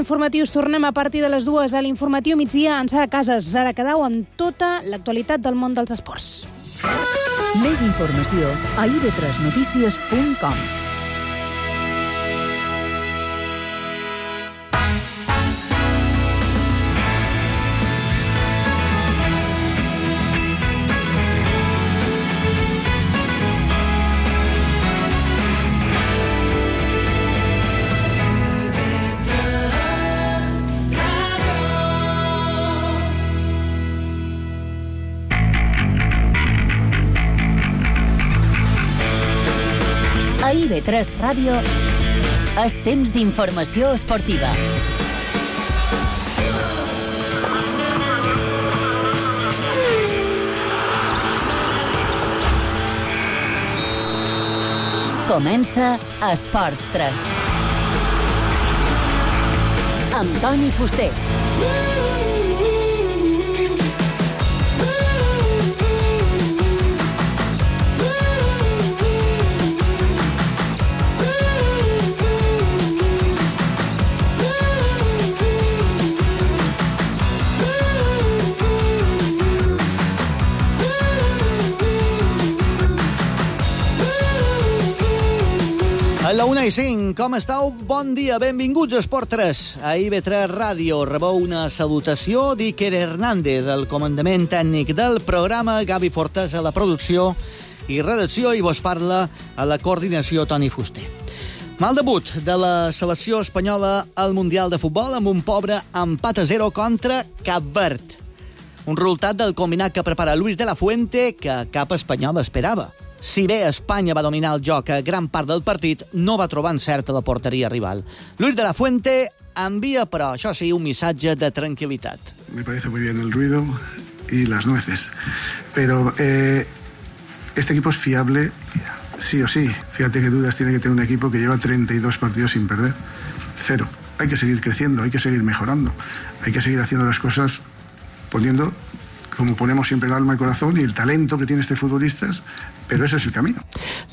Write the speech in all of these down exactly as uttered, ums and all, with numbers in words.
informatius. Tornem a partir de les dues a l'informatiu migdia en Sara Casas, Sara Cadau, amb tota l'actualitat del món dels esports. Més informació a i be tres notícies punt com. A i be tres Ràdio és temps d'informació esportiva. Comença Esports tres. Amb Toni Fuster. A la una i cinc, com estàu? Bon dia, benvinguts a Esport tres. A i be tres Ràdio rebeu una salutació d'Iker Hernández, del comandament tècnic del programa, Gavi Fortes a la producció i redacció, i vos parla a la coordinació Toni Fuster. Mal debut de la selecció espanyola al Mundial de Futbol amb un pobre empat a zero contra Cap Verd. Un resultat del combinat que prepara Luis de la Fuente que cap espanyol esperava. Si bé Espanya va dominar el joc a gran part del partit, no va trobar encert a la porteria rival. Luis de la Fuente envia, però això sí, un missatge de tranquil·litat. Me parece muy bien el ruido y las nueces, pero eh, este equipo es fiable sí o sí. Fíjate qué dudas tiene que tener un equipo que lleva treinta y dos partidos sin perder. Cero. Hay que seguir creciendo, hay que seguir mejorando, hay que seguir haciendo las cosas poniendo, como ponemos siempre, el alma, el corazón y el talento que tiene este futbolista. Però ese és el camí.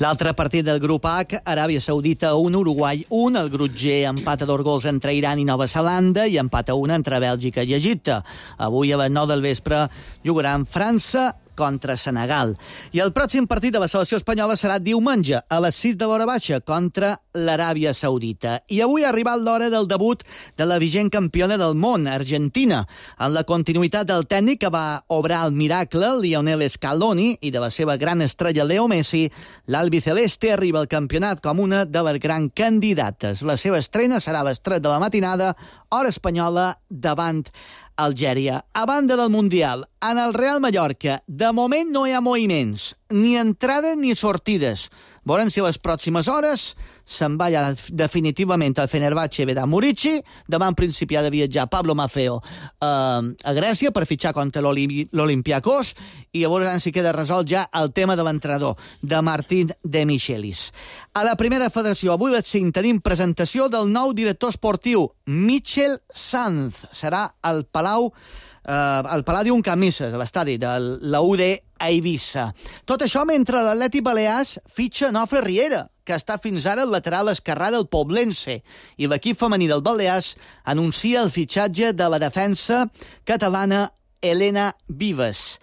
L'altre partit del grup H, Aràbia Saudita un, Uruguai un, el grup G empat a dos gols entre Iran i Nova Zelanda i empat a un entre Bèlgica i Egipte. Avui a les nou del vespre jugaran França contra Senegal. I el pròxim partit de la selecció espanyola serà diumenge a les sis de l'hora baixa contra l'Aràbia Saudita. I avui ha arribat l'hora del debut de la vigent campiona del món, Argentina, en la continuïtat del tècnic que va obrar el miracle, Lionel Scaloni, i de la seva gran estrella Leo Messi, l'albiceleste arriba al campionat com una de les grans candidates. La seva estrena serà a les tres de la matinada, hora espanyola, davant Algèria. A banda del Mundial, en el Real Mallorca, de moment no hi ha moviments, ni entrades ni sortides. Veurem si a les pròximes hores se'n va ja definitivament al Fenerbahçe Vedat Murici. Demà en principi ha de viatjar Pablo Maffeo eh, a Grècia per fitxar contra l'Olympiakos, i llavors si queda resolt ja el tema de l'entrenador, de Martín de Michelis. A la primera federació, avui a les cinc tenim presentació del nou director esportiu, Michel Sanz. Serà al Palau eh, al Palladium Camises, a l'estadi de la U D a Eivissa. Tot això mentre l'Atlètic Balears fitxa Nofre Riera, que està fins ara al lateral esquerrà del Poblense, i l'equip femení del Balears anuncia el fitxatge de la defensa catalana Elena Vives.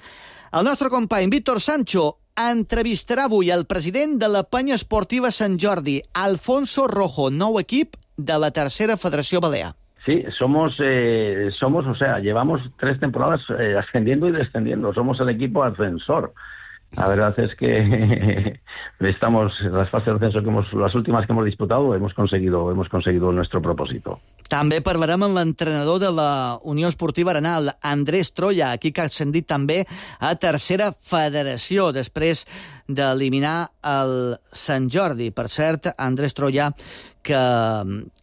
El nostre company Víctor Sancho entrevistarà avui el president de la Penya Esportiva Sant Jordi, Alfonso Rojo, nou equip de la tercera Federació Balear. Sí, somos, eh, somos, o sea, llevamos tres temporadas eh, ascendiendo y descendiendo. Somos el equipo ascensor. La verdad es que estamos, las fases de ascenso que hemos, las últimas que hemos disputado, hemos conseguido, hemos conseguido nuestro propósito. També parlarem amb l'entrenador de la Unió Esportiva Arenal, Andrés Troya, aquí que ha ascendit també a tercera federació, després d'eliminar el Sant Jordi. Per cert, Andrés Troya, que,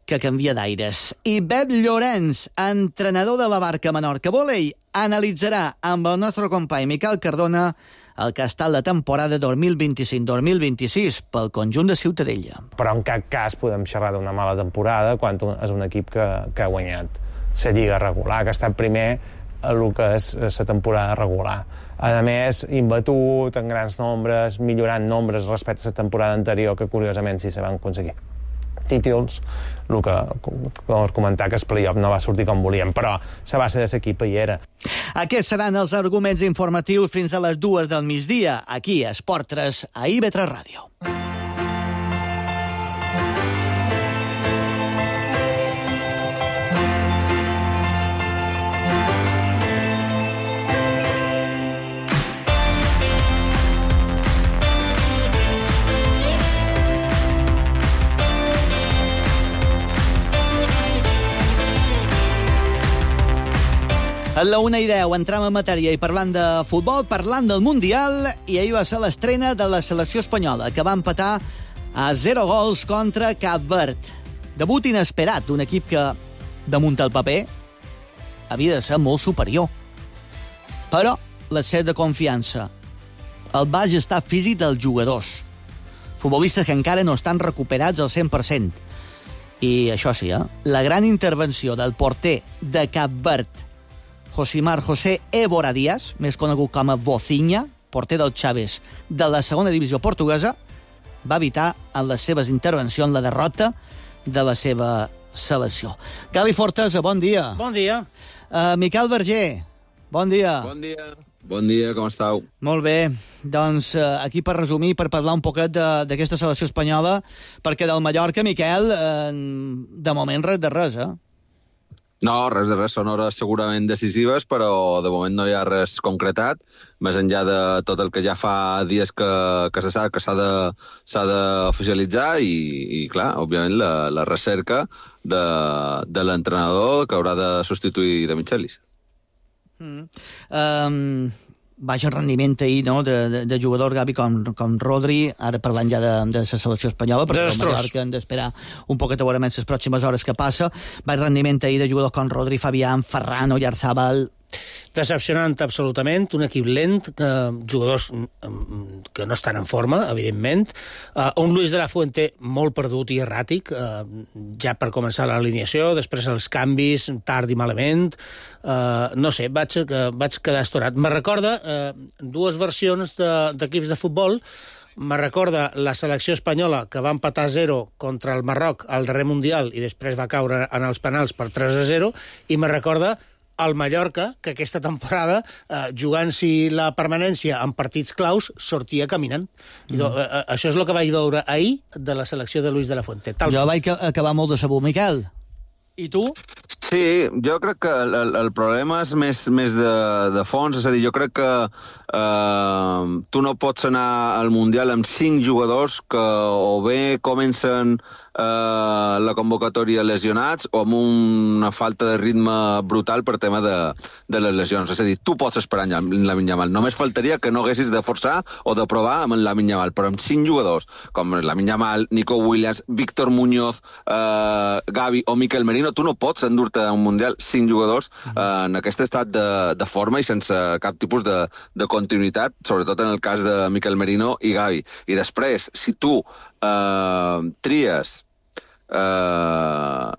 que canvia d'aires. I Pep Llorenç, entrenador de la Barca Menorca Volei, analitzarà amb el nostre company Miquel Cardona el que ha estat la temporada dos mil vint-i-cinc dos mil vint-i-sis pel conjunt de Ciutadella. Però en cap cas podem xerrar d'una mala temporada quan és un equip que, que ha guanyat la lliga regular, que ha estat primer a el que és la temporada regular. A més, imbatut en grans nombres, millorant nombres respecte a la temporada anterior, que curiosament sí se van aconseguir. títols, el que, com us comentava, que el playoff no va sortir com volíem, però la base de l'equip hi era. Aquests seran els arguments informatius fins a les dues del migdia, aquí a Esport tres, a I B tres Ràdio. A la una i deu entram en matèria i parlant de futbol, parlant del Mundial, i ahir va ser l'estrena de la selecció espanyola, que va empatar a zero gols contra Cap Verd. Debut inesperat d'un equip que, damunt el paper, havia de ser molt superior. Però l'excés de confiança, el baix estat físic dels jugadors, futbolistes que encara no estan recuperats al cent per cent. I això sí, eh? la gran intervenció del porter de Cap Verd, Josimar José Évora Díaz, més conegut com a Vozinha, porter del Chaves de la segona divisió portuguesa, va evitar en les seves intervencions la derrota de la seva selecció. Gali Fortesa, bon dia. Bon dia. Uh, Miquel Verger, bon dia. Bon dia. Bon dia, com estàu? Molt bé. Doncs uh, aquí per resumir, per parlar un poquet d'aquesta selecció espanyola, perquè del Mallorca, Miquel, uh, de moment res de res, eh? No, res de res, són hores segurament decisives, però de moment no hi ha res concretat, més enllà de tot el que ja fa dies que, que se sap que s'ha de, s'ha d'oficialitzar i, i, clar, òbviament, la, la recerca de, de l'entrenador que haurà de substituir de Michelis. Mm. Um, baix rendiment ahir, no?, de, de, de jugador Gavi com, com Rodri, ara parlant ja de, de la selecció espanyola, perquè el Mallorca hem d'esperar un poquet a veure més les pròximes hores que passa. Baix rendiment ahir de jugadors com Rodri, Fabián, Ferran, Oyarzábal. Decepcionant absolutament, un equip lent, eh, jugadors que no estan en forma, evidentment, eh, un Luis de la Fuente molt perdut i erràtic, eh, ja per començar l'alineació, després els canvis, tard i malament, eh, no sé, vaig, eh, vaig quedar estorat. Me recorda eh, dues versions d'equips de, de futbol. Me recorda la selecció espanyola que va empatar a zero contra el Marroc al darrer Mundial i després va caure en els penals per tres a zero, i me recorda el Mallorca, que aquesta temporada, eh, jugant-s'hi la permanència en partits claus, sortia caminant. Mm. I, eh, això és el que vaig veure ahir de la selecció de Luis de la Fuente. Tal jo vaig acabar molt de sabut, Miquel. I tu? Sí, jo crec que el, el problema és més, més de, de fons, és a dir, jo crec que eh, tu no pots anar al Mundial amb cinc jugadors que o bé comencen eh, la convocatòria lesionats o amb una falta de ritme brutal per tema de, de les lesions. És a dir, tu pots esperar en Lamine Yamal. Només faltaria que no haguessis de forçar o de provar amb en Lamine Yamal, però amb cinc jugadors, com Lamine Yamal, Nico Williams, Víctor Muñoz, eh, Gavi o Mikel Merino, tu no pots endur-te a un Mundial cinc jugadors eh, en aquest estat de, de forma i sense cap tipus de, de continuïtat, sobretot en el cas de Mikel Merino i Gavi. I després, si tu eh, tries eh,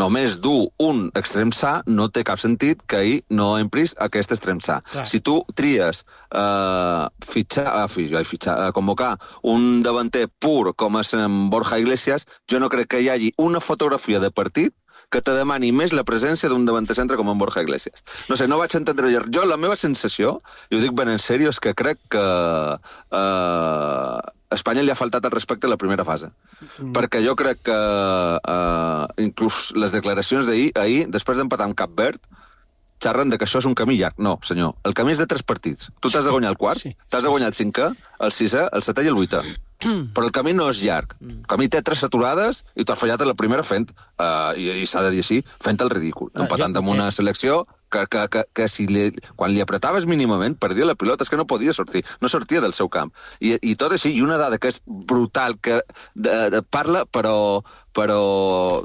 només dur un extrem sa, no té cap sentit que ahir no empris aquest extrem sa. Clar. Si tu tries eh, fitxar, eh, fitxar, eh, convocar un davanter pur com és en Borja Iglesias, jo no crec que hi hagi una fotografia de partit que te demani més la presència d'un davanter centre com en Borja Iglesias. No sé, no vaig entendre jo. Jo, la meva sensació, i ho dic ben en sèrio, és que crec que eh, a Espanya li ha faltat el respecte a la primera fase. Mm. Perquè jo crec que eh, inclús les declaracions d'ahir, ahir, després d'empatar amb Cap Verd, xerren de que això és un camí llarg. No, senyor, el camí és de tres partits. Tu t'has de guanyar el quart, sí. T'has de guanyar el cinquè, el sisè, el setè i el vuitè. Però el camí no és llarg. El camí té tres aturades i t'has fallat a la primera fent, uh, i, i s'ha de dir així, fent el ridícul. Ah, empatant jo, amb una selecció que, que, que, que si li, quan li apretaves mínimament perdia la pilota, és que no podia sortir, no sortia del seu camp. I, i tot així, i una dada que és brutal, que de, de, parla, però, però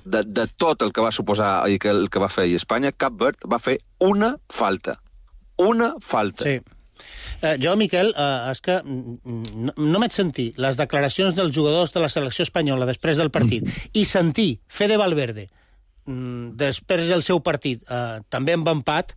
de, de tot el que va suposar i que, el que va fer ahir Espanya, Cap Verd va fer una falta. Una falta. Sí. Eh, jo, Miquel, eh, és que no, no m'haig sentir les declaracions dels jugadors de la selecció espanyola després del partit i sentir Fede Valverde després del seu partit, eh, també amb empat,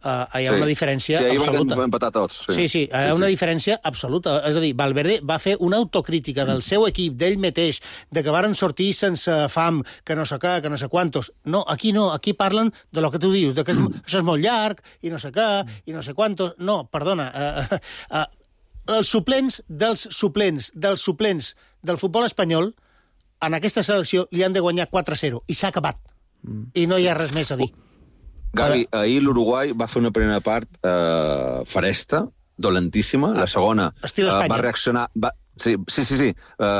Uh, hi ha sí. una diferència sí, absoluta. Van empatar tots. Sí, sí, sí hi ha sí, una sí. diferència absoluta. És a dir, Valverde va fer una autocrítica del seu equip, d'ell mateix, de que varen sortir sense fam, que no sé què, que no sé quantos. No, aquí no, aquí parlen de lo que tu dius, de que és, això és molt llarg, i no sé què, i no sé quantos. No, perdona, uh, uh, uh, els suplents dels suplents dels suplents del futbol espanyol en aquesta selecció li han de guanyar quatre a zero, i s'ha acabat. Mm. I no hi ha res més a dir. Gavi, ahir l'Uruguai va fer una primera part eh, faresta, dolentíssima. La segona Estil Espanya. eh, va reaccionar... Va, sí, sí, sí. sí. Uh,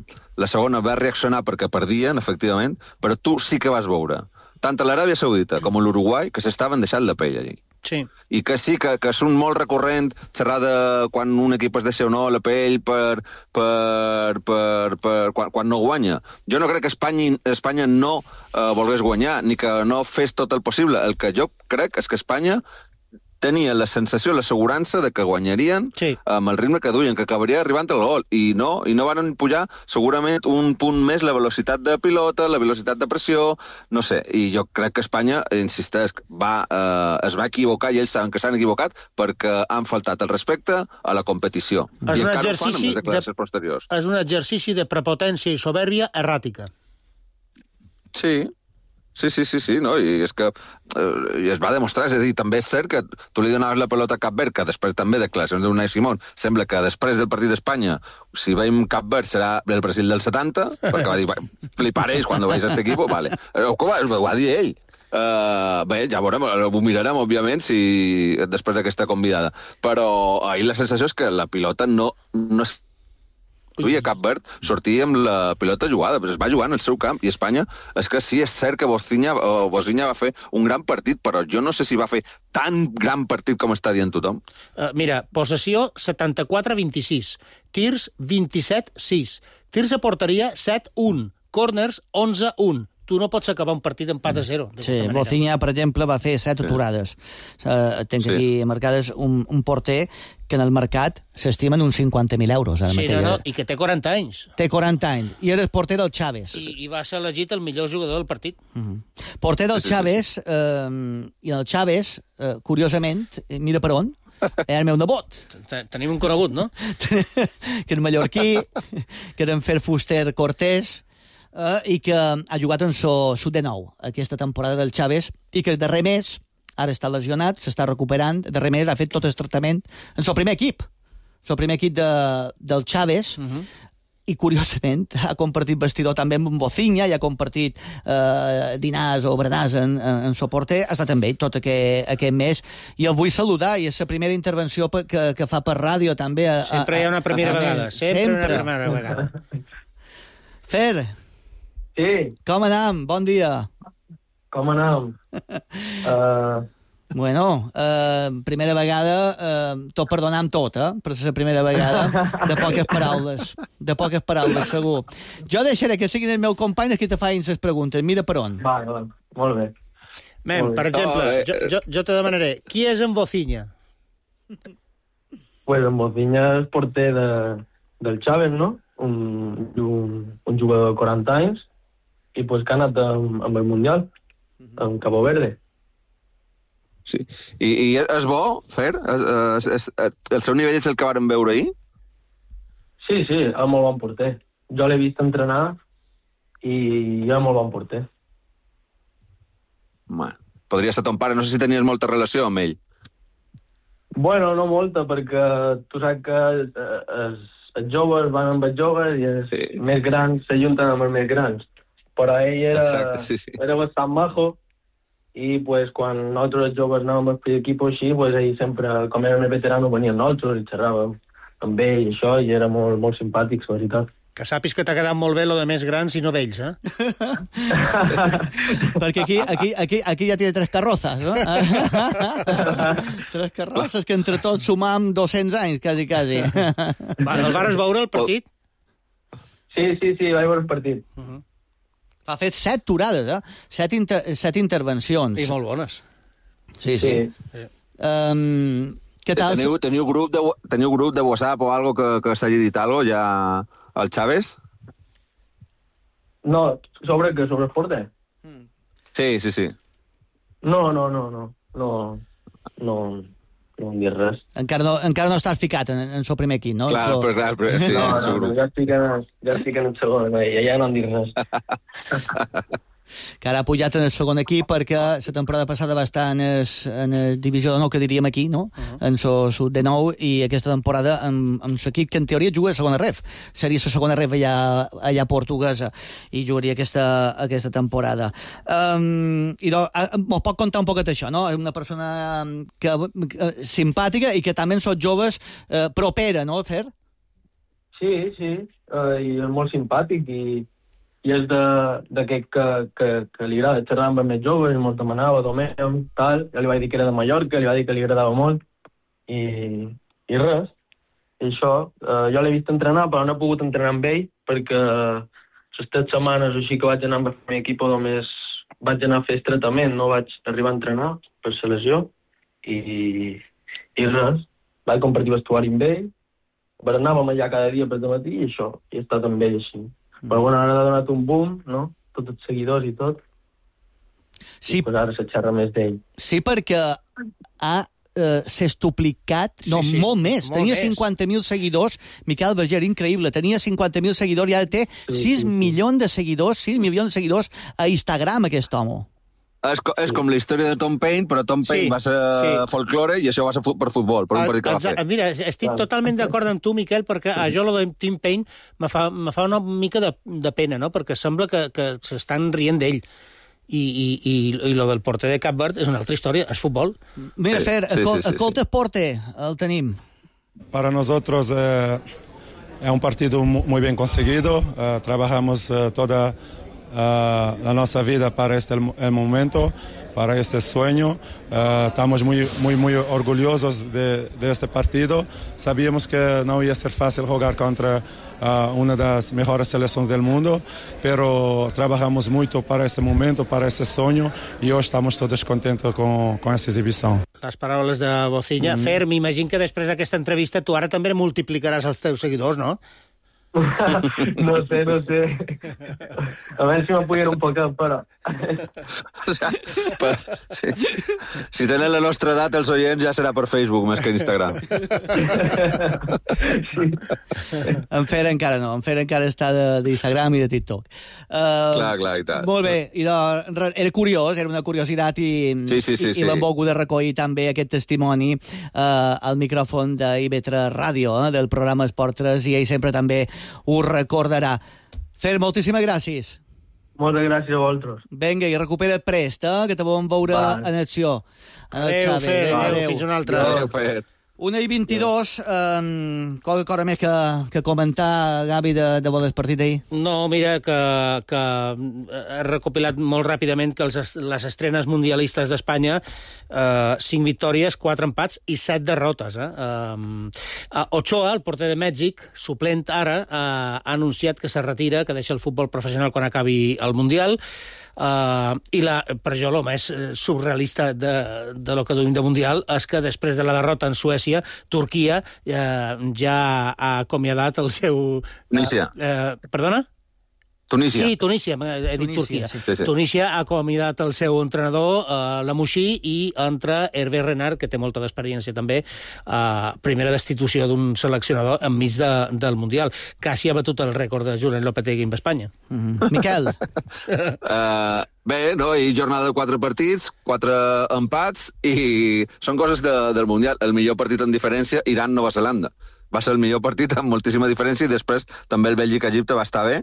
uh, la segona va reaccionar perquè perdien, efectivament, però tu sí que vas veure tant a l'Aràbia Saudita com a l'Uruguai que s'estaven deixant la pell allí. Sí. I que sí, que, que és un molt recurrent xerrar de quan un equip es deixa o no la pell per, per, per, per quan, quan no guanya. Jo no crec que Espanya, Espanya no eh, volgués guanyar, ni que no fes tot el possible. El que jo crec és que Espanya tenia la sensació, l'assegurança de que guanyarien sí. amb el ritme que duien, que acabaria arribant al gol. I no, i no van pujar segurament un punt més la velocitat de pilota, la velocitat de pressió, no sé. I jo crec que Espanya, insisteix, va, eh, es va equivocar, i ells saben que s'han equivocat perquè han faltat el respecte a la competició. És I un encara ho fan amb exercici les declaracions de, posteriors. És un exercici de prepotència i soberbia erràtica. Sí, Sí, sí, sí, sí, no? I és que eh, es va demostrar, és a dir, també és cert que tu li donaves la pelota a Cap Verd, que després també declaracions d'Unai Simón, sembla que després del partit d'Espanya, si veiem Cap Verd serà el Brasil del setanta, perquè va dir, fliparéis quan veis este equipo, vale. Ho, ho va dir ell. Uh, bé, ja veurem, ho mirarem, òbviament, si després d'aquesta convidada. Però ahir la sensació és que la pilota no... no i a Cap Verd sortia amb la pilota jugada, però es va jugar en el seu camp, i Espanya, és que sí, és cert que Boziña, Boziña va fer un gran partit, però jo no sé si va fer tan gran partit com està dient tothom. Uh, mira, possessió setanta-quatre a vint-i-sis, tirs vint-i-set a sis, tirs a porteria set a un, corners onze a un. Tu no pots acabar un partit empat a zero. Sí, Boziña, per exemple, va fer set aturades. Uh, tens sí. aquí marcades un, un porter que en el mercat s'estimen uns cinquanta mil euros. Ara sí, mateix. No, no, i que té quaranta anys. Té quaranta anys, i era el porter del Chaves. I, i va ser elegit el millor jugador del partit. Uh -huh. Porter del Chaves, eh, i el Chaves, eh, curiosament, mira per on, era el meu nebot. Tenim un conegut, no? Que era mallorquí, que era en Fer Fuster Cortés, Uh, i que ha jugat en so sud de nou aquesta temporada del Chaves, i que el darrer mes, ara està lesionat, s'està recuperant, el darrer mes ha fet tot el tractament en el primer equip, el primer equip de, del Chaves, uh -huh. i curiosament ha compartit vestidor també amb Boziña, i ha compartit eh, dinars o berenars en, en, en soporter, ha estat amb ell tot aquest, aquest mes, i el vull saludar, i és la primera intervenció que, que fa per ràdio també. A, sempre hi ha una primera a, a, vegada, sempre, sempre una primera vegada. Fer, sí. Com anam? Bon dia. Com anam? uh... Bueno, eh, primera vegada, eh, tot perdonant tot, eh? Per ser la primera vegada, de poques paraules. De poques paraules, segur. Jo deixaré que siguin els meus companys que te facin les preguntes. Mira per on. Vale, vale. Molt bé. Mem, Molt bé. Per exemple, oh, eh, jo, jo, jo te demanaré, qui és en Boziña? Pues en Boziña és porter de, del Chaves, no? Un, un, un jugador de quaranta anys, i pues que ha anat amb, amb el Mundial, amb Cabo Verde. Sí. I, i és bo, Fer? És, és, és, el seu nivell és el que vàrem veure ahir? Sí, sí, és molt bon porter. Jo l'he vist entrenar i és molt bon porter. Man, podria ser ton pare, no sé si tenies molta relació amb ell. Bueno, no molta, perquè tu saps que els, els joves van amb els joves i els sí. més grans s'ajunten amb els més grans. Però ell era, Exacte, sí, sí. era bastant majo, i pues, quan nosaltres els joves anàvem al primer equip així, pues, ell sempre, com era més veterano, venia amb nosaltres i xerràvem amb ell i això, i era molt, molt simpàtic, la veritat. Que sàpis que t'ha quedat molt bé lo de més grans i no vells, eh? Perquè aquí, aquí, aquí, aquí ja té tres carrozes, no? Tres carrozes que entre tots sumam dos-cents anys, quasi, quasi. Va, el vares veure el partit? Sí, sí, sí, vaig veure el partit. Uh -huh. Ha fet set turades, eh? Set, inter set intervencions. I molt bones. Sí, sí. sí. Um, què tal? Teniu, teniu, grup de, teniu grup de WhatsApp o algo que, que s'hagi dit algo ja al Chaves? No, sobre què? Sobre el porter? Mm. Sí, sí, sí. No, no, no, no. No, no, no em dir res. Encara no, encara no estàs ficat en, en el primer equip, no? Clar, so... però clar, però, sí, no, no, segur. no, ja estic en, ja estic en el segon, no, ja, ja no em dir res. Que ara ha pujat en el segon equip perquè la temporada passada va estar en el, en el divisió de nou, que diríem aquí, no? Uh -huh. En el sud de nou, i aquesta temporada amb, amb l'equip que en teoria juga a segona ref. Seria la segona ref allà, allà portuguesa, i jugaria aquesta, aquesta temporada. Um, i doncs, m'ho pot contar un poquet això, no? És una persona que, que, simpàtica i que també en són joves eh, propera, no, Fer? Sí, sí, uh, i és molt simpàtic, i i és d'aquest que, que, que li agrada xerrar amb els més joves, i mos demanava d'Homeu, tal, ja li vaig dir que era de Mallorca, li vaig dir que li agradava molt, i, i res. I això, eh, jo l'he vist entrenar, però no he pogut entrenar amb ell, perquè les tres setmanes així que vaig anar amb el meu equip, només vaig anar a fer estretament, no vaig arribar a entrenar per la lesió, i, i res, vaig compartir vestuari amb ell, anàvem allà cada dia per dematí, i això, i he estat amb ell així. Però bueno, ara ha donat un boom, no? Tots els seguidors i tot. Sí. I pues ara se xerra més d'ell. Sí, perquè ha eh, sextuplicat, sí, no, sí, molt més. Molt Tenia més. cinquanta mil seguidors. Miquel Berger, increïble. Tenia cinquanta mil seguidors i ara té sí, sis sí, sí. milions de seguidors, sis milions de seguidors a Instagram, aquest home. És, és sí. com la història de Tom Paine, però Tom Paine sí, va ser sí. folklore i això va ser per futbol, per un partit que va fer. Mira, estic totalment d'acord amb tu, Miquel, perquè a jo lo de Tom Paine me fa, me fa una mica de, de pena, no? Perquè sembla que, que s'estan rient d'ell. I, i, i, i lo del porter de Cap Verd és una altra història, és futbol. Mira, sí, Fer, sí, sí, sí, escolta, sí. Porter, el tenim. Para nosotros eh, es un partido muy bien conseguido. Uh, trabajamos uh, toda Uh, la nuestra vida para este el, el momento, para este sueño. Uh, estamos muy, muy, muy orgullosos de, de este partido. Sabíamos que no iba a ser fácil jugar contra uh, una de las mejores selecciones del mundo, pero trabajamos mucho para este momento, para este sueño, y hoy estamos todos contentos con, con esta exhibición. Les paraules de Bocilla. Mm-hmm. Fer, m'imagino que després d'aquesta entrevista tu ara també multiplicaràs els teus seguidors, no? No sé, no sé. A ver si me apoyen un poco, però... O sea, per, sí. Si tenen la nostra edat, els oients, ja serà per Facebook més que Instagram. Sí. En Fer encara no, en Fer encara està d'Instagram i de TikTok. Uh, clar, clar, i tant. Molt bé, i doncs, era curiós, era una curiositat, i, sí, sí, sí, i, sí. i l'hem volgut de recollir també aquest testimoni uh, al micròfon d'I V tres Ràdio, eh, del programa Esport tres, i ell sempre també ho recordarà. Fer, moltíssimes gràcies. Moltes gràcies a vosaltres. Vinga, i recupera't prest, eh? Que te volem veure vale. en acció. Adéu, Fer, adéu, fins una altra. Adéu, Fer. Una i vint-i-dos, um, qualque cosa més que, que comentar, Gavi, de, de bon partit d'ahir? No, mira, que, que he recopilat molt ràpidament que els, les estrenes mundialistes d'Espanya, eh, cinc victòries, quatre empats i set derrotes. Eh? Um, Ochoa, el porter de Mèxic, suplent ara, eh, ha anunciat que se retira, que deixa el futbol professional quan acabi el Mundial. Uh, i la, per jo el més surrealista de, de lo que duim de Mundial és que després de la derrota en Suècia, Turquia uh, ja ha acomiadat el seu... Tunísia. Uh, uh, perdona? Tunísia. Sí, Tunísia, he dit Turquia. Sí. Sí, sí. Tunísia ha acomiadat el seu entrenador, uh, Lamouchi, i entra Hervé Renard, que té molta d'experiència també, uh, primera destitució d'un seleccionador enmig de, del Mundial. Quasi ha batut el rècord de Julen Lopetegui amb Espanya. Mm-hmm. Miquel? uh, bé, no? I jornada de quatre partits, quatre empats, i són coses de, del Mundial. El millor partit en diferència, Iran-Nova Zelanda. Va ser el millor partit amb moltíssima diferència, i després també el Bèlgica-Egipte va estar bé,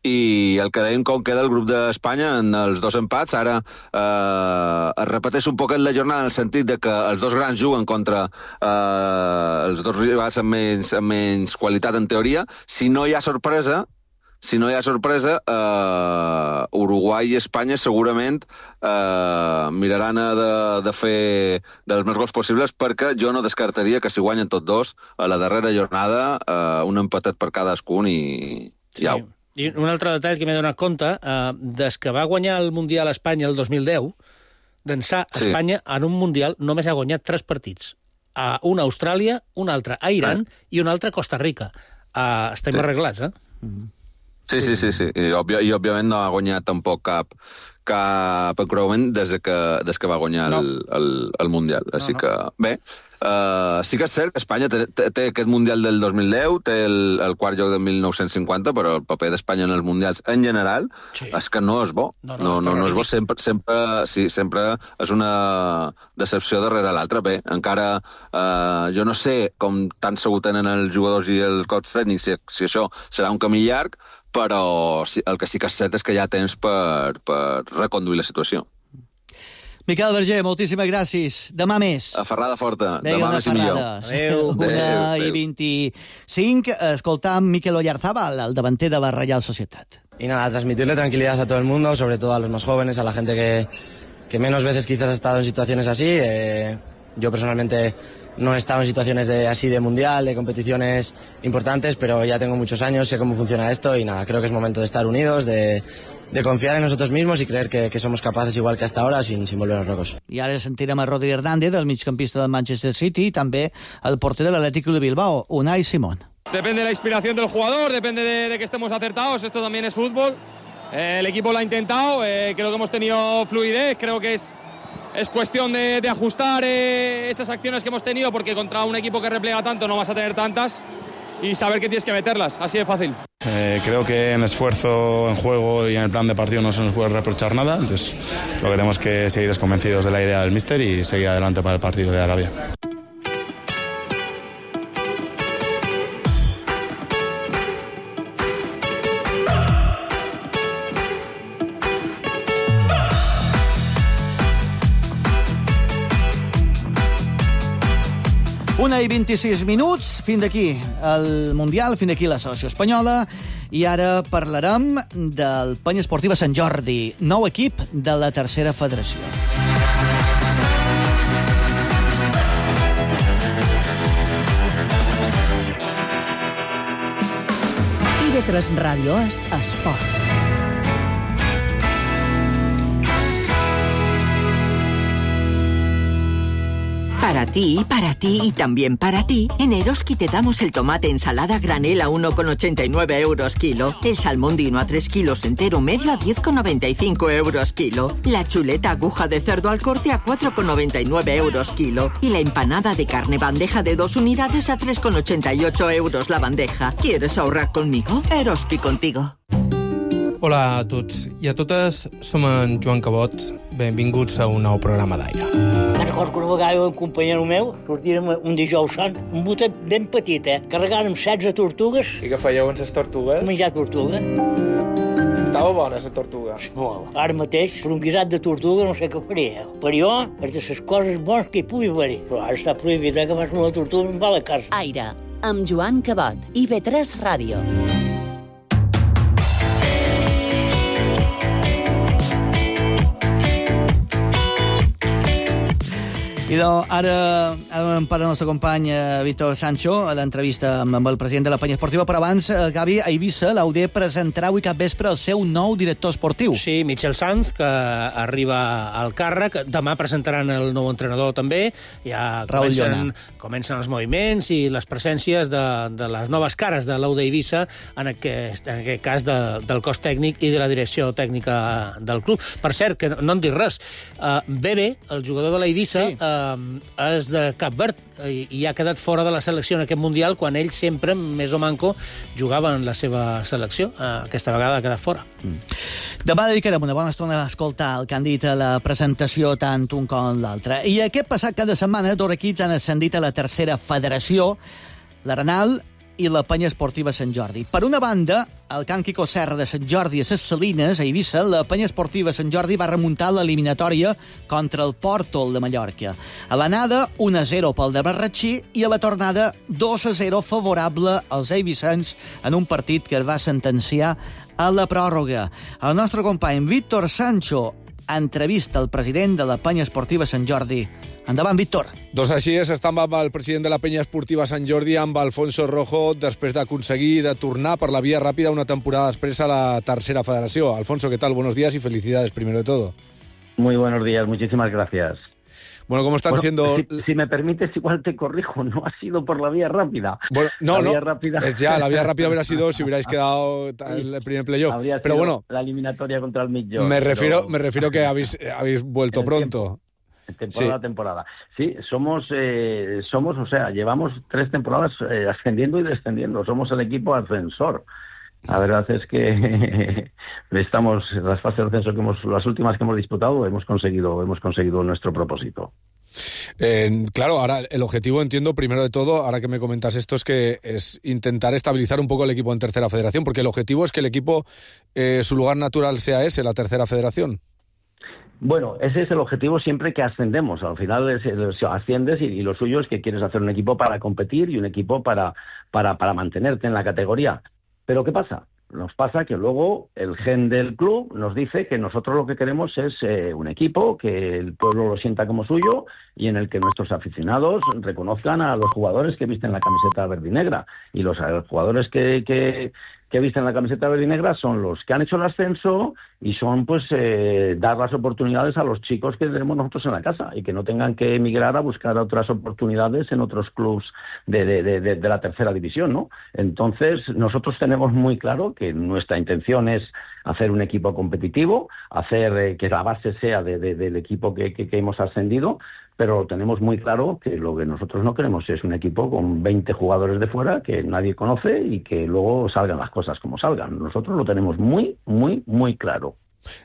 i el que dèiem com queda el grup d'Espanya en els dos empats. Ara eh, es repeteix un poquet la jornada en el sentit de que els dos grans juguen contra eh, els dos rivals amb menys, amb menys qualitat en teoria. Si no hi ha sorpresa, si no hi ha sorpresa, eh, Uruguai i Espanya segurament eh, miraran de, de fer dels més gols possibles, perquè jo no descartaria que si guanyen tots dos a la darrera jornada eh, un empatet per cadascun i, sí. i au. I un altre detall que m'he donat compte, eh, des que va guanyar el Mundial a Espanya el dos mil deu, d'ençà sí. Espanya en un Mundial només ha guanyat tres partits. A un a Austràlia, un altre a Iran eh. i un altre a Costa Rica. Uh, estem sí. arreglats, eh? Mm-hmm. Sí, sí, sí, sí. I, òbvia, i òbviament no ha guanyat tampoc cap, cap encreuament des que, des que va guanyar no. el, el, el Mundial. Així no, no. que, bé, uh, sí que és cert que Espanya té, té, té aquest Mundial del dos mil deu, té el, el quart lloc del mil nou-cents cinquanta, però el paper d'Espanya en els Mundials en general sí. és que no és bo. No, no, no, no, no és bo. Sempre, sempre, sí, sempre és una decepció darrere l'altra. Bé, encara uh, jo no sé com tan segur tenen els jugadors i els cops tècnics si, si això serà un camí llarg, però el que sí que és cert és que hi ha temps per, per reconduir la situació. Miquel Berger, moltíssimes gràcies. Demà més. A Ferrada Forta. Deia Demà més i millor. Adéu. Una i vint-i-cinc. Escoltam Mikel Oyarzábal, el davanter de la Real Societat. Y nada, transmitirle tranquilidad a todo el mundo, sobre todo a los más jóvenes, a la gente que, que menos veces quizás ha estado en situaciones así. Eh, yo personalmente no he estado en situaciones de, así de mundial, de competiciones importantes, pero ya tengo muchos años, sé cómo funciona esto y nada, creo que es momento de estar unidos, de, de confiar en nosotros mismos y creer que, que somos capaces igual que hasta ahora sin, sin volvernos locos. I ara sentirem a Rodri Hernández, el migcampista del Manchester City, i també el porter de l'Atlético de Bilbao, Unai Simón. Depende de la inspiración del jugador, depende de, de que estemos acertados, esto también es fútbol. Eh, el equipo lo ha intentado, eh, creo que hemos tenido fluidez, creo que es... Es cuestión de, de ajustar eh, esas acciones que hemos tenido, porque contra un equipo que replega tanto no vas a tener tantas, y saber que tienes que meterlas, así de fácil. Eh, creo que en esfuerzo, en juego y en el plan de partido no se nos puede reprochar nada, entonces lo que tenemos que seguir es convencidos de la idea del míster y seguir adelante para el partido de Arabia. Una i vint-i-sis minuts, fins d'aquí el Mundial, fins d'aquí la selecció espanyola, i ara parlarem del Penya Esportiva Sant Jordi, nou equip de la tercera federació. I ve tres Ràdio és Esport. Para ti, para ti y también para ti, en Eroski te damos el tomate ensalada granel a uno con ochenta y nueve euros kilo, el salmón dino a tres kilos entero medio a diez con noventa y cinco euros kilo, la chuleta aguja de cerdo al corte a cuatro con noventa y nueve euros kilo y la empanada de carne bandeja de dos unidades a tres con ochenta y ocho euros la bandeja. ¿Quieres ahorrar conmigo? Eroski contigo. Hola a tots i a totes, som en Joan Cabot. Benvinguts a un nou programa d'Aire. Me'n recordo que una vegada un companyero meu sortirem un dijous sant, un botet ben petit, eh? Carregàrem setze tortugues. I què fèieu amb les tortugues? Menjar tortuga. Estava bona, la tortuga? Molt. Ara mateix, per un guisat de tortuga no sé què faria. Per jo, és de les coses bones que hi pugui haver-hi. Però ara està prohibit, eh, que fas una tortuga amb la carn. Aire, amb Joan Cabot, I ve tres Ràdio. I doncs, ara hem per al nostre company eh, Víctor Sancho a l'entrevista amb, amb el president de la Penya Esportiva, però abans, eh, Gavi, a Eivissa, l'U D presentarà avui cap vespre el seu nou director esportiu. Sí, Michel Sanz, que arriba al càrrec. Demà presentaran el nou entrenador també. Ja comencen, comencen els moviments i les presències de, de les noves cares de l'U D Eivissa, en aquest, en aquest cas de, del cos tècnic i de la direcció tècnica del club. Per cert, que no, no en dic res, uh, Bebe, el jugador de l'Eivissa, sí. uh, és de Cap Verd i, i ha quedat fora de la selecció en aquest Mundial quan ell sempre, més o manco, jugava en la seva selecció. Uh, aquesta vegada ha quedat fora. Mm. Demà dedicarem una bona estona a escoltar el que han dit a la presentació tant un com l'altre. I aquest passat cada setmana dos equips han ascendit a la tercera federació, l'Arenal i la Penya Esportiva Sant Jordi. Per una banda, el Can Quico Serra de Sant Jordi a Ses Salines, a Eivissa, la Penya Esportiva Sant Jordi va remuntar l'eliminatòria contra el Pòrtol de Mallorca. A l'anada, un a zero pel de Marratxí i a la tornada, dos a zero favorable als eivissans en un partit que es va sentenciar a la pròrroga. El nostre company Víctor Sancho entrevista el president de la Penya Esportiva Sant Jordi. Endavant, Víctor. Doncs així és, estem amb el president de la Penya Esportiva Sant Jordi, amb Alfonso Rojo, després d'aconseguir de tornar per la via ràpida una temporada després a la tercera federació. Alfonso, ¿qué tal? Buenos días y felicidades, primero de todo. Muy buenos días, muchísimas gracias. Bueno, ¿cómo están bueno, siendo...? Si, si me permites, igual te corrijo, no ha sido por la vía rápida. Bueno, no, la no, vía rápida... es ya, la vía rápida hubiera sido si hubierais quedado el primer playoff. Habría Pero sido bueno, la eliminatoria contra el Millón. me refiero, pero... me refiero que habéis, habéis vuelto pronto. Temporada a sí. temporada. Sí, somos, eh, somos, o sea, llevamos tres temporadas eh, ascendiendo y descendiendo. Somos el equipo ascensor. La verdad es que estamos, las fases de ascenso que hemos, las últimas que hemos disputado, hemos conseguido, hemos conseguido nuestro propósito. Eh, claro, ahora el objetivo, entiendo, primero de todo, ahora que me comentas esto, es que es intentar estabilizar un poco el equipo en tercera federación, porque el objetivo es que el equipo, eh, su lugar natural sea ese, la tercera federación. Bueno, ese es el objetivo siempre que ascendemos. Al final es, es, asciendes y, y lo suyo es que quieres hacer un equipo para competir y un equipo para, para, para mantenerte en la categoría. Pero ¿qué pasa? Nos pasa que luego el gen del club nos dice que nosotros lo que queremos es eh, un equipo que el pueblo lo sienta como suyo y en el que nuestros aficionados reconozcan a los jugadores que visten la camiseta verde y negra. Y los, los jugadores que, que, que visten la camiseta verde y negra son los que han hecho el ascenso y son pues eh, dar las oportunidades a los chicos que tenemos nosotros en la casa y que no tengan que emigrar a buscar otras oportunidades en otros clubs de, de, de, de la tercera división, ¿no? Entonces nosotros tenemos muy claro que nuestra intención es hacer un equipo competitivo, hacer eh, que la base sea de, de, del equipo que, que, que hemos ascendido, pero tenemos muy claro que lo que nosotros no queremos es un equipo con veinte jugadores de fuera que nadie conoce y que luego salgan las cosas como salgan. Nosotros lo tenemos muy, muy, muy claro.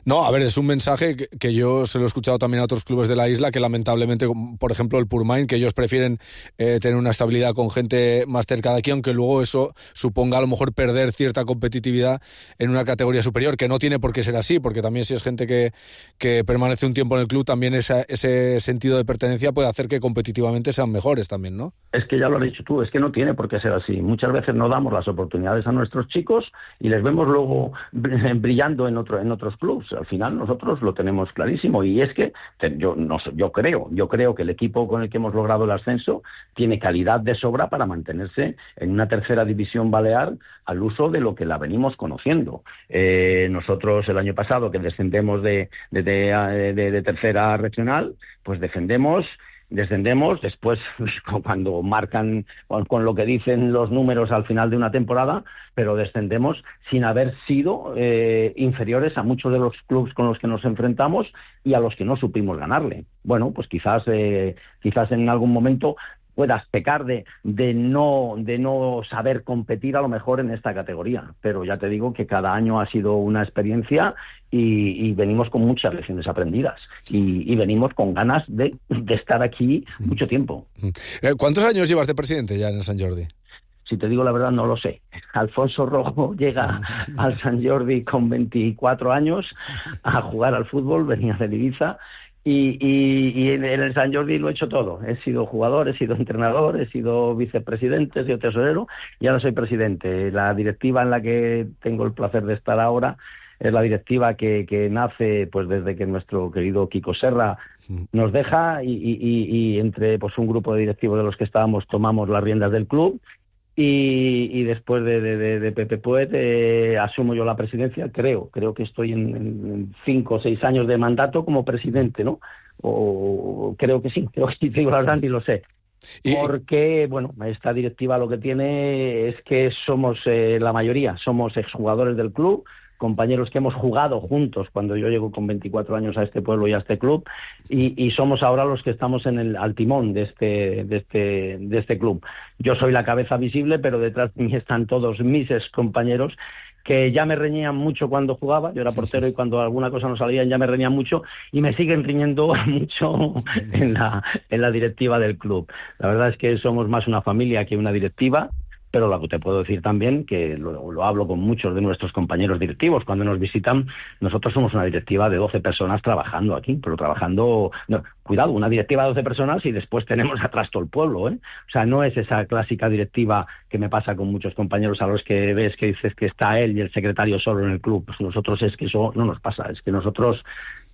No, a ver, es un mensaje que, que yo se lo he escuchado también a otros clubes de la isla, que lamentablemente, por ejemplo el Purmain, que ellos prefieren eh, tener una estabilidad con gente más cerca de aquí, aunque luego eso suponga a lo mejor perder cierta competitividad en una categoría superior, que no tiene por qué ser así, porque también si es gente que, que permanece un tiempo en el club, también esa, ese sentido de pertenencia puede hacer que competitivamente sean mejores también, ¿no? Es que ya lo has dicho tú, es que no tiene por qué ser así. Muchas veces no damos las oportunidades a nuestros chicos y les vemos luego brillando en, otro, en otros clubes. Al final nosotros lo tenemos clarísimo y es que yo, no, yo creo yo creo que el equipo con el que hemos logrado el ascenso tiene calidad de sobra para mantenerse en una tercera división balear al uso de lo que la venimos conociendo. Eh, nosotros el año pasado que descendemos de, de, de, de, de tercera regional, pues defendemos Descendemos, después cuando marcan con lo que dicen los números al final de una temporada, pero descendemos sin haber sido eh, inferiores a muchos de los clubes con los que nos enfrentamos y a los que no supimos ganarle. Bueno, pues quizás, eh, quizás en algún momento puedas pecar de, de, no, de no saber competir a lo mejor en esta categoría. Pero ya te digo que cada año ha sido una experiencia y, y venimos con muchas lecciones aprendidas y, y venimos con ganas de, de estar aquí mucho tiempo. ¿Cuántos años llevas de presidente ya en el Sant Jordi? Si te digo la verdad, no lo sé. Alfonso Rojo llega al Sant Jordi con veinticuatro años a jugar al fútbol, venía de Ibiza. Y, y, y en el Sant Jordi lo he hecho todo. He sido jugador, he sido entrenador, he sido vicepresidente, he sido tesorero y ahora soy presidente. La directiva en la que tengo el placer de estar ahora es la directiva que, que nace pues desde que nuestro querido Kiko Serra nos deja y, y, y entre pues un grupo de directivos de los que estábamos tomamos las riendas del club. Y, y después de, de, de Pepe Puet eh, asumo yo la presidencia, creo, creo que estoy en, en cinco o seis años de mandato como presidente, ¿no? O creo que sí, creo que sí, digo la verdad ni lo sé. Porque, bueno, esta directiva lo que tiene es que somos eh, la mayoría, somos exjugadores del club, compañeros que hemos jugado juntos cuando yo llego con veinticuatro años a este pueblo y a este club y, y somos ahora los que estamos en el al timón de este de este de este club. Yo soy la cabeza visible, pero detrás de mí están todos mis ex compañeros que ya me reñían mucho cuando jugaba, yo era portero y cuando alguna cosa no salía ya me reñían mucho y me siguen riñendo mucho en la en la directiva del club. La verdad es que somos más una familia que una directiva. Pero lo que te puedo decir también, que lo, lo hablo con muchos de nuestros compañeros directivos, cuando nos visitan, nosotros somos una directiva de doce personas trabajando aquí, pero trabajando, no, cuidado, una directiva de doce personas y después tenemos atrás todo el pueblo, ¿eh? O sea, no es esa clásica directiva que me pasa con muchos compañeros a los que ves que dices que está él y el secretario solo en el club. Pues nosotros es que eso no nos pasa, es que nosotros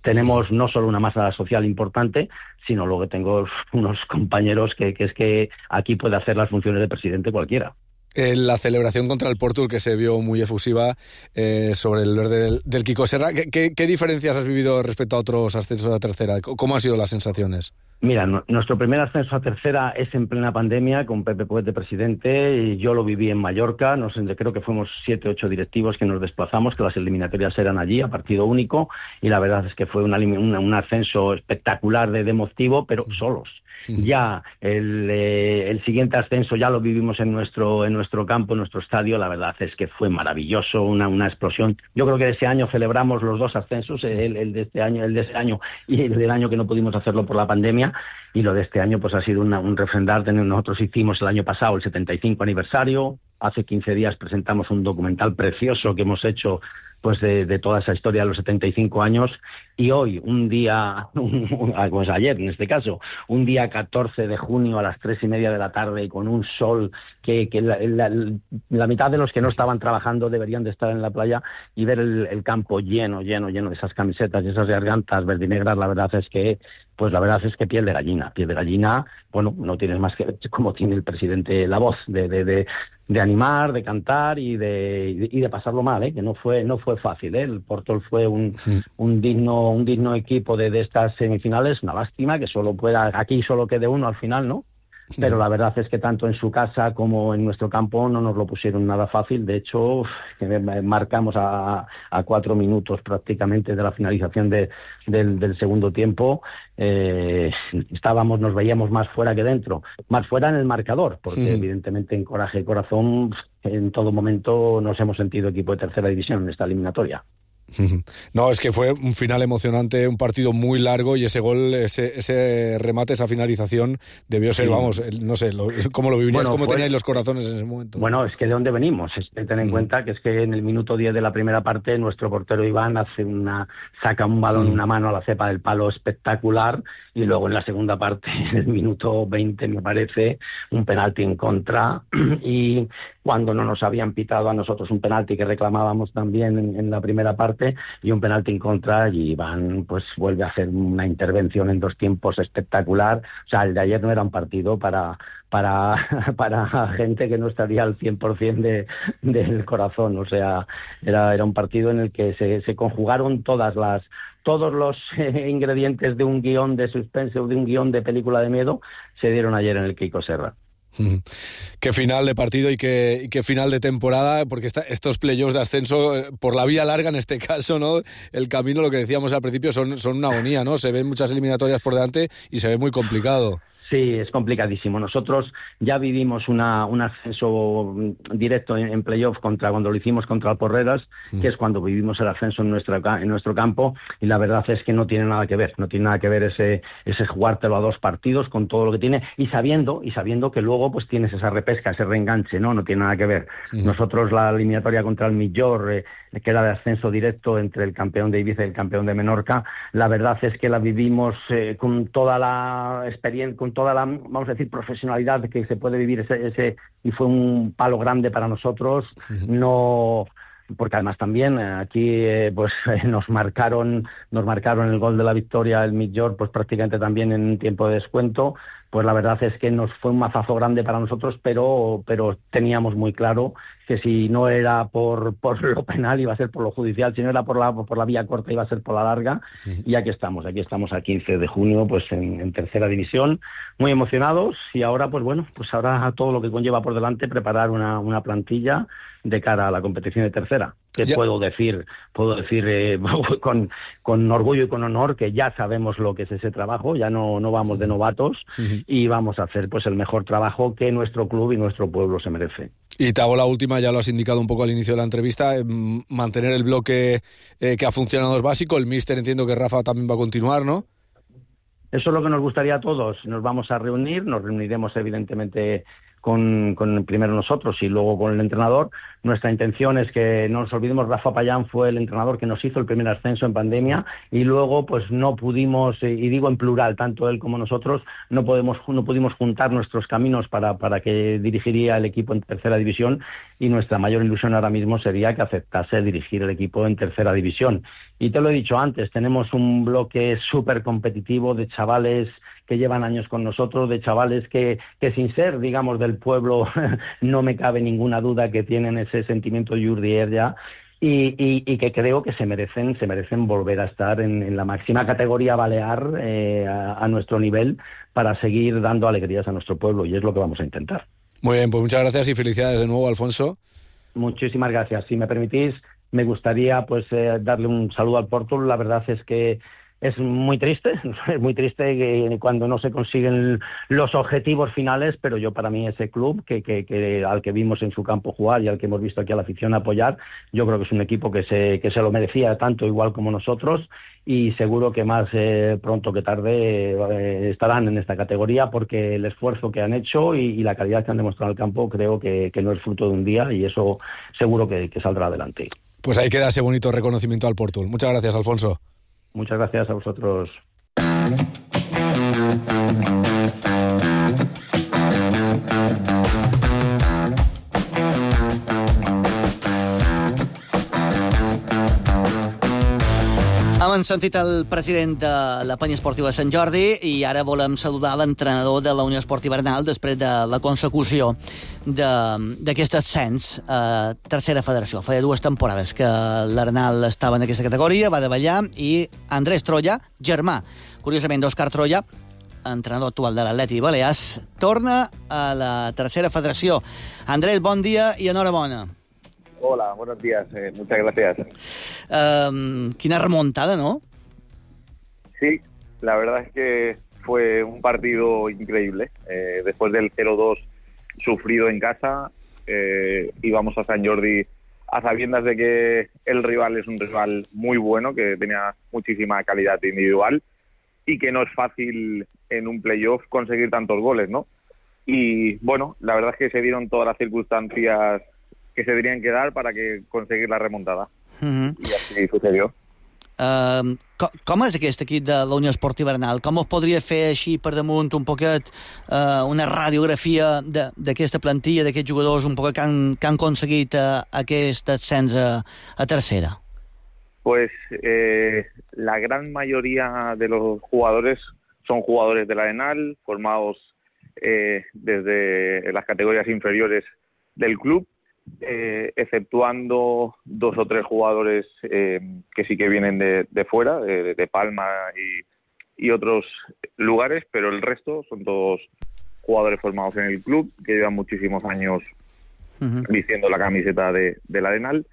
tenemos no solo una masa social importante, sino luego tengo unos compañeros que, que es que aquí puede hacer las funciones de presidente cualquiera. En la celebración contra el Portul, que se vio muy efusiva eh, sobre el verde del, del Kiko Serra, ¿qué, qué, ¿qué diferencias has vivido respecto a otros ascensos a la tercera? ¿Cómo han sido las sensaciones? Mira, no, nuestro primer ascenso a tercera es en plena pandemia, con Pepe Poet de presidente, y yo lo viví en Mallorca, no sé, creo que fuimos siete, ocho directivos que nos desplazamos, que las eliminatorias eran allí, a partido único, y la verdad es que fue una, una, un ascenso espectacular de, de emotivo, pero solos. Ya el, eh, el siguiente ascenso ya lo vivimos en nuestro en nuestro campo, en nuestro estadio. La verdad es que fue maravilloso, una, una explosión. Yo creo que ese año celebramos los dos ascensos, el, el de este año, el de ese año y el del año que no pudimos hacerlo por la pandemia. Y lo de este año pues ha sido una, un refrendar. Nosotros hicimos el año pasado el setenta y cinco aniversario. Hace quince días presentamos un documental precioso que hemos hecho pues de, de toda esa historia de los setenta y cinco años, y hoy, un día, un, pues ayer en este caso, un día catorce de junio a las tres y media de la tarde, y con un sol que, que la, la, la mitad de los que no estaban trabajando deberían de estar en la playa, y ver el, el campo lleno, lleno, lleno de esas camisetas y esas gargantas verdinegras, la verdad es que, pues la verdad es que piel de gallina, piel de gallina, bueno, no tienes más que como tiene el presidente la voz de, de, de de animar, de cantar y de y de pasarlo mal, ¿eh? Que no fue no fue fácil, ¿eh? El Portol fue un, sí. un digno un digno equipo de, de estas semifinales. Una lástima que solo pueda aquí solo quede uno al final, ¿no? Pero la verdad es que tanto en su casa como en nuestro campo no nos lo pusieron nada fácil. De hecho, marcamos a, a cuatro minutos prácticamente de la finalización de, del, del segundo tiempo. Eh, estábamos, nos veíamos más fuera que dentro. Más fuera en el marcador, porque sí. evidentemente en coraje y corazón en todo momento nos hemos sentido equipo de tercera división en esta eliminatoria. No, es que fue un final emocionante, un partido muy largo, y ese gol, ese, ese remate, esa finalización debió ser, sí. vamos, no sé, lo, cómo lo vivirías, bueno, cómo pues, teníais los corazones en ese momento. Bueno, es que de dónde venimos, es que ten en mm. cuenta que es que en el minuto diez de la primera parte nuestro portero Iván hace una saca un balón, sí. una mano a la cepa del palo espectacular, y luego en la segunda parte, en el minuto veinte me parece, un penalti en contra, y cuando no nos habían pitado a nosotros un penalti que reclamábamos también en, en la primera parte, y un penalti en contra, y Iván pues vuelve a hacer una intervención en dos tiempos espectacular. O sea, el de ayer no era un partido para para para gente que no estaría al cien por ciento de, del corazón. O sea, era era un partido en el que se, se conjugaron todas las todos los eh, ingredientes de un guión de suspense o de un guión de película de miedo se dieron ayer en el Kiko Serra. Qué final de partido y qué, y qué final de temporada, porque esta, estos playoffs de ascenso, por la vía larga en este caso, ¿no? El camino, lo que decíamos al principio, son, son una agonía, ¿no? Se ven muchas eliminatorias por delante y se ve muy complicado. Sí, es complicadísimo. Nosotros ya vivimos una, un ascenso directo en, en playoff contra cuando lo hicimos contra el Porreras, mm. que es cuando vivimos el ascenso en nuestro, en nuestro campo, y la verdad es que no tiene nada que ver, no tiene nada que ver ese, ese jugártelo a dos partidos con todo lo que tiene, y sabiendo y sabiendo que luego pues tienes esa repesca, ese reenganche, ¿no? No tiene nada que ver. Mm. Nosotros la eliminatoria contra el Millor, eh, que era de ascenso directo entre el campeón de Ibiza y el campeón de Menorca, la verdad es que la vivimos eh, con toda la experiencia, con toda la, vamos a decir, profesionalidad que se puede vivir ese, ese y fue un palo grande para nosotros. No, porque además también aquí eh, pues nos marcaron nos marcaron el gol de la victoria, el Millor, pues prácticamente también en un tiempo de descuento. Pues la verdad es que nos fue un mazazo grande para nosotros, pero pero teníamos muy claro que si no era por por lo penal iba a ser por lo judicial, si no era por la por la vía corta iba a ser por la larga. Sí. Y aquí estamos, aquí estamos a quince de junio, pues en, en tercera división, muy emocionados, y ahora pues bueno, pues ahora todo lo que conlleva por delante, preparar una, una plantilla de cara a la competición de tercera. Que ya. puedo decir, puedo decir eh, con, con orgullo y con honor que ya sabemos lo que es ese trabajo, ya no, no vamos de novatos, sí. y vamos a hacer pues el mejor trabajo que nuestro club y nuestro pueblo se merece. Y te hago la última, ya lo has indicado un poco al inicio de la entrevista, eh, mantener el bloque eh, que ha funcionado es básico. El míster, entiendo que Rafa también va a continuar, ¿no? Eso es lo que nos gustaría a todos. Nos vamos a reunir, nos reuniremos evidentemente con, con primero nosotros y luego con el entrenador. Nuestra intención es que no nos olvidemos, Rafa Payán fue el entrenador que nos hizo el primer ascenso en pandemia, y luego pues no pudimos, y digo en plural, tanto él como nosotros, no podemos no pudimos juntar nuestros caminos para, para que dirigiría el equipo en tercera división, y nuestra mayor ilusión ahora mismo sería que aceptase dirigir el equipo en tercera división. Y te lo he dicho antes, tenemos un bloque súper competitivo de chavales que llevan años con nosotros, de chavales que, que sin ser, digamos, del pueblo, no me cabe ninguna duda que tienen ese sentimiento yurdier ya, Y, y, y que creo que se merecen, se merecen volver a estar en, en la máxima categoría balear eh, a, a nuestro nivel para seguir dando alegrías a nuestro pueblo, y es lo que vamos a intentar. Muy bien, pues muchas gracias y felicidades de nuevo, Alfonso. Muchísimas gracias. Si me permitís, me gustaría pues eh, darle un saludo al Porto. La verdad es que es muy triste, es muy triste que cuando no se consiguen los objetivos finales, pero yo para mí ese club que, que, que al que vimos en su campo jugar y al que hemos visto aquí a la afición apoyar, yo creo que es un equipo que se, que se lo merecía tanto igual como nosotros, y seguro que más eh, pronto que tarde eh, estarán en esta categoría, porque el esfuerzo que han hecho y, y la calidad que han demostrado en el campo creo que, que no es fruto de un día, y eso seguro que, que saldrá adelante. Pues ahí queda ese bonito reconocimiento al Porto. Muchas gracias, Alfonso. Muchas gracias a vosotros. Hem sentit el president de la penya esportiva Sant Jordi i ara volem saludar l'entrenador de la Unió Esportiva Arnal després de la consecució d'aquest ascens a tercera federació. Feia dues temporades que l'Arnal estava en aquesta categoria, va davallar, i Andrés Troya, germà, curiosament d'Òscar Troya, entrenador actual de l'Atleti Balears, torna a la tercera federació. Andrés, bon dia i enhorabona. Hola, buenos días, eh, muchas gracias. Um, quina remontada, ¿no? Sí, la verdad es que fue un partido increíble. Eh, después del cero dos sufrido en casa, eh, íbamos a Sant Jordi a sabiendas de que el rival es un rival muy bueno, que tenía muchísima calidad individual y que no es fácil en un playoff conseguir tantos goles, ¿no? Y bueno, la verdad es que se dieron todas las circunstancias que se tenían que dar para que conseguir la remontada. Uh-huh. I així sucedió. Uh, com, com és aquest equip de la Unió Esportiva Arnal? Com es podria fer així per damunt un poquet uh, una radiografia d'aquesta plantilla, d'aquests jugadors un poquet que han, que han aconseguit uh, aquest ascens a, a tercera? Pues eh, la gran mayoría de los jugadores son jugadores del Arenal, formados eh, desde las categorías inferiores del club, Eh, exceptuando dos o tres jugadores eh, que sí que vienen de, de fuera, de, de Palma y, y otros lugares, pero el resto son todos jugadores formados en el club, que llevan muchísimos años uh-huh. vistiendo la camiseta de, del Arenal.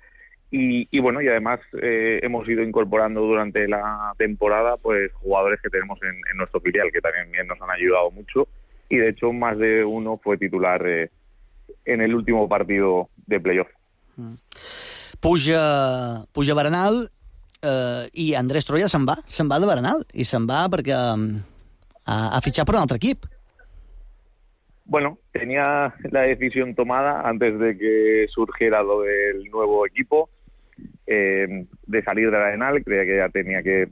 Y, y bueno, y además eh, hemos ido incorporando durante la temporada pues jugadores que tenemos en, en nuestro filial, que también nos han ayudado mucho, y de hecho más de uno fue titular eh, en el último partido de playoff. Puja, puja Bernal eh, i Andrés Troya se'n va, se'n va de Bernal, i se'n va perquè um, ha, ha fitxat per un altre equip. Bueno, tenía la decisión tomada antes de que surgiera lo del nuevo equipo, eh, de salir de la Arenal. Creía que ya tenía que,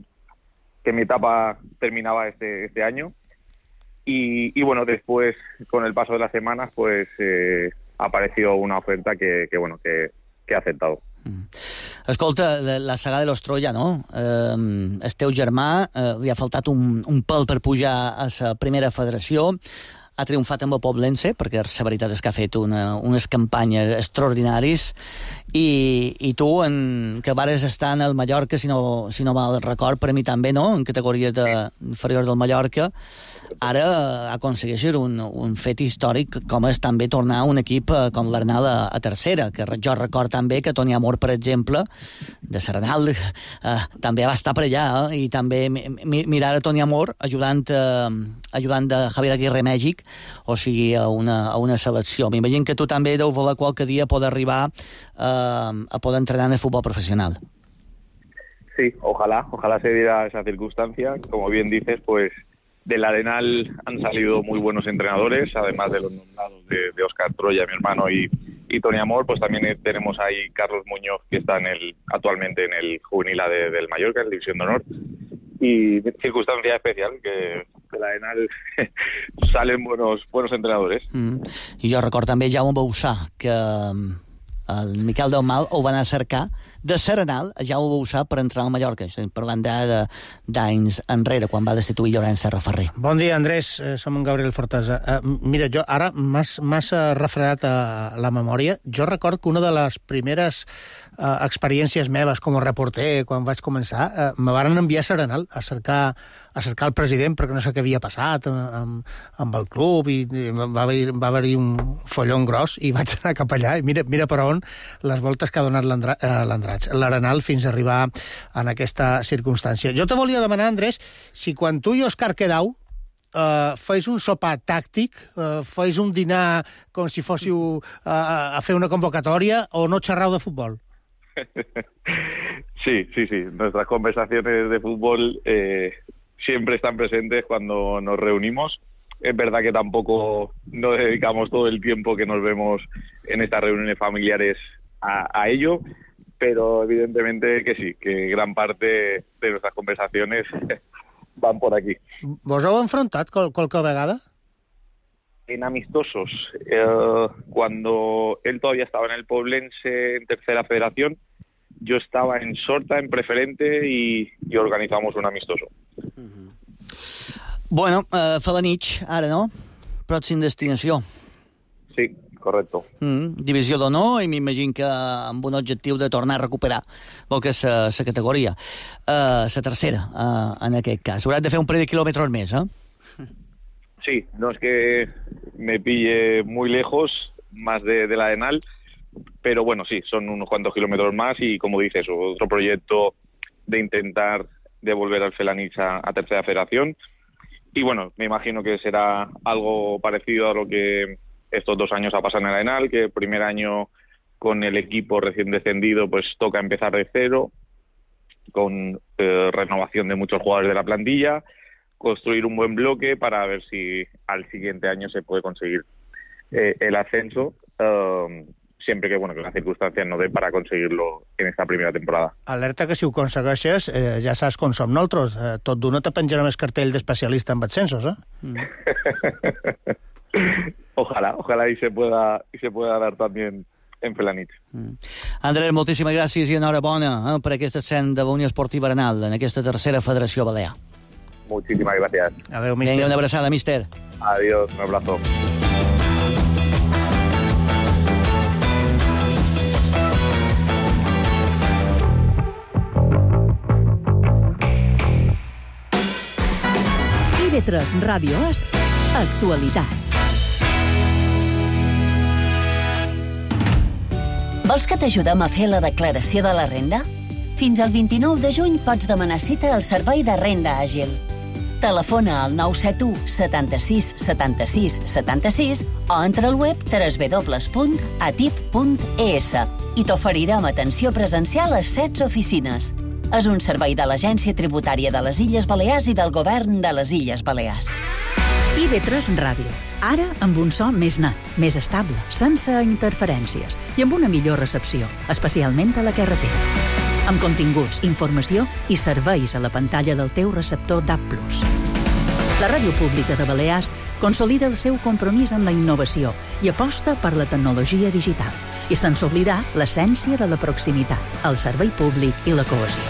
que mi etapa terminaba este, este año. Y, y bueno, después, con el paso de las semanas, pues eh, apareció una oferta que, que bueno, que, que he aceptado. Mm. Escolta, la saga de los Troya, no? Eh, el teu germà eh, li ha faltat un, un pèl per pujar a la primera federació. Ha triomfat amb el Poblense, perquè la veritat és que ha fet una, unes campanyes extraordinaris, i, i tu, en, que vares estar en el Mallorca, si no, si no mal record, per a mi també, no?, en categories de, inferiors del Mallorca, ara aconsegueixes un, un fet històric com és també tornar a un equip com l'Arnal a, a tercera, que jo record també que Toni Amor, per exemple, de Serranal, eh, també va estar per allà, eh, i també mi, mirar a Toni Amor ajudant, eh, ajudant de Javier Aguirre Mèxic, o sigui, a una, a una selecció. M'imagino que tu també deu voler qualque dia poder arribar eh, a poder entrenar en el futbol profesional. Sí, ojalá, ojalá se diera esa circunstancia. Como bien dices, pues del Arenal han salido muy buenos entrenadores, además de los nombrados de, de Óscar Troya, mi hermano, y, y Toni Amor, pues también tenemos ahí Carlos Muñoz, que está en el, actualmente en el juvenil A de, del Mallorca, en División de Honor. Y circunstancia especial, que de la Arenal salen buenos, buenos entrenadores. Mm. I jo recordo també Jaume Bausà, que el Miquel Delmal ho va anar a cercar de Serenal, ja ho vau sap, per entrar al Mallorca. Estem parlant d'anys enrere, quan va destituir Llorenç Serra Ferrer. Bon dia, Andrés. Som en Gabriel Fortesa. Uh, mira, jo ara m'has refredat a la memòria. Jo record que una de les primeres uh, experiències meves com a reporter, quan vaig començar, uh, me varen enviar a Serenal a cercar, a cercar el president perquè no sé què havia passat amb, amb el club i, i va haver-hi va haver un follon gros i vaig anar cap allà i mira, mira per on les voltes que ha donat l'Andratx, l'Arenal, fins a arribar en aquesta circumstància. Jo te volia demanar, Andrés, si quan tu i Òscar quedau Uh, feis un sopar tàctic, uh, feis un dinar com si fóssiu uh, a fer una convocatòria o no xerrau de futbol. Sí, sí, sí. Nuestras conversaciones de fútbol eh, siempre están presentes cuando nos reunimos. Es verdad que tampoco nos dedicamos todo el tiempo que nos vemos en estas reuniones familiares a, a ello, pero evidentemente que sí, que gran parte de nuestras conversaciones van por aquí. Vos heu enfrontat qual, qualque vegada? En amistosos. Eh, cuando él todavía estaba en el Poblense en tercera federación, yo estaba en Sorta, en preferente, y, y organizamos un amistoso. Mm-hmm. Bueno, uh, Felanitx, ara no? Pròxim destinació. Sí, correcto. Mm, divisió d'honor, i m'imagino que amb un objectiu de tornar a recuperar el que és la categoria. La uh, tercera, uh, en aquest cas. Hauràs de fer un parell de quilòmetres més, eh? Sí, no es que me pille muy lejos, más de, de la Arenal, pero bueno, sí, son unos cuantos kilómetros más y, como dices, otro proyecto de intentar devolver al Felanitx a, a tercera federación. Y bueno, me imagino que será algo parecido a lo que estos dos años ha pasado en el Arenal, que el primer año con el equipo recién descendido pues toca empezar de cero, con eh, renovación de muchos jugadores de la plantilla, construir un buen bloque para ver si al siguiente año se puede conseguir eh, el ascenso, eh, siempre que, bueno, que las circunstancias no den para conseguirlo en esta primera temporada. Alerta que si ho aconsegueixes, eh, ja saps com som nosaltres, eh, tot d'una te penjarà més cartell d'especialista en ascensos, eh? Mm. Ojalá, ojalá y se pueda y se pueda dar también en Felanitx. Mm. Andrés, moltíssimes gràcies i enhorabona eh, per aquest ascens de la Unió Esportiva Arenal en aquesta tercera federació balear. Muchísimas gracias. Adéu, míster. Vinga, una abraçada, míster. Adiós, un abrazo. I V tres Ràdio és actualitat. Vols que t'ajudem a fer la declaració de la renda? Fins al vint-i-nou de juny pots demanar cita al Servei de Renda Àgil. Telefona al nou set u setanta-sis setanta-sis setanta-sis o entra al web w w w punt atip punt e s i t'oferirem atenció presencial a setze oficines. És un servei de l'Agència Tributària de les Illes Balears i del Govern de les Illes Balears. I V tres Ràdio. Ara amb un so més net, més estable, sense interferències i amb una millor recepció, especialment a la carretera. Amb continguts, informació i serveis a la pantalla del teu receptor D A B plus. La Ràdio Pública de Balears consolida el seu compromís amb la innovació i aposta per la tecnologia digital, i sense oblidar l'essència de la proximitat, el servei públic i la cohesió.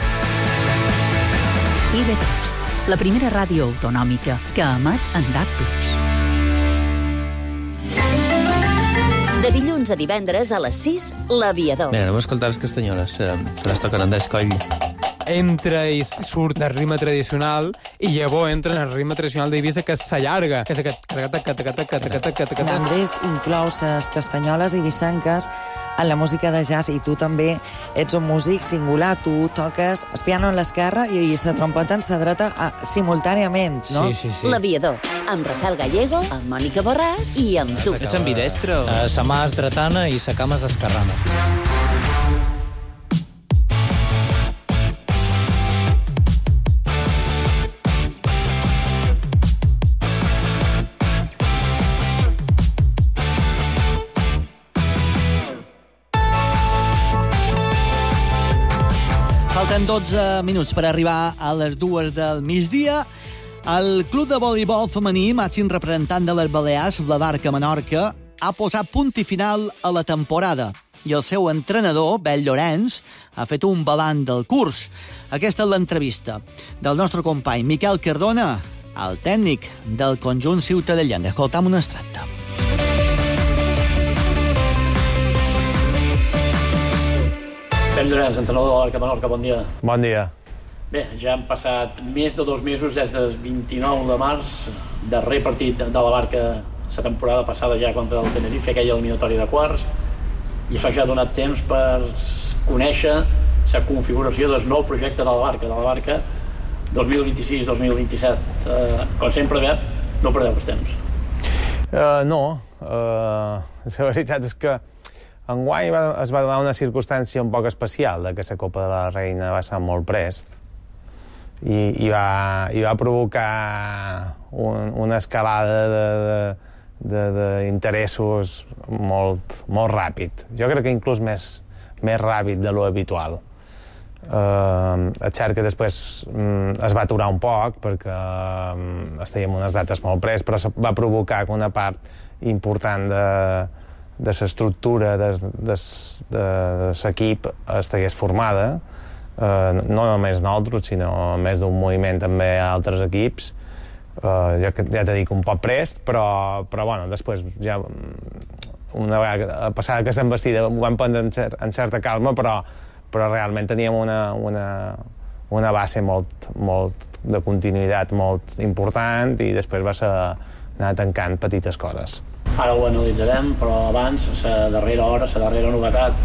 I V tres, la primera ràdio autonòmica que emet en D A B plus. De dilluns a divendres a les sis, L'Aviador. Bé, anem a escoltar les castanyoles. Se les toquen Andrés Coll. Entra i surt del ritme tradicional i llavors entra en el ritme tradicional d'Eivissa, que s'allarga. Que és aquest... Andrés inclou les castanyoles eivissenques en la música de jazz, i tu també ets un músic singular. Tu toques el piano en l'esquerra i la trompeta en la dreta simultàniament, no? Sí, sí, sí. L'Aviador, amb Rafael Gallego, amb Mònica Borràs i amb tu. Ets ambidestre? Uh, sa mà és dretana i sa cama és esquerrana. Falten dotze minuts per arribar a les dues del migdia. El club de voleibol femení, màxim representant de les Balears, la Barca Menorca, ha posat punt i final a la temporada. i el seu entrenador, Bel Llorenç, ha fet un balanç del curs. Aquesta és l'entrevista del nostre company Miquel Cardona, el tècnic del conjunt ciutadellenc. Escoltam un extracte. Bel Llorenç, entrenador de l'Arca Menorca, bon dia. Bon dia. Bé, ja han passat més de dos mesos des del vint-i-nou de març, darrer partit de la Barca la temporada passada ja contra el Tenerife, aquella eliminatòria de quarts, i això ja ha donat temps per conèixer la configuració del nou projecte de la Barca, de la Barca dos mil vint-i-sis dos mil vint-i-set. Uh, com sempre, bé, no perdeu el temps. Uh, no, uh, la veritat és que enguany va, es va donar una circumstància un poc especial, de que la Copa de la Reina va ser molt prest, i, i, va, i va provocar un, una escalada d'interessos molt, molt ràpid. Jo crec que inclús més, més ràpid de lo habitual. Uh, és cert que després um, es va aturar un poc perquè um, estàvem unes dates molt pres, però va provocar que una part important de, de l'estructura de, de, de, de l'equip estigués formada. Uh, no només nosaltres, sinó més d'un moviment també a altres equips. Uh, jo ja t'he dit un poc prest, però, però bueno, després ja una vegada passada aquesta embestida ho vam prendre en, cer en certa calma, però, però realment teníem una, una, una base molt, molt de continuïtat molt important i després va ser anar tancant petites coses. Ara ho analitzarem, però abans, la darrera hora, la darrera novetat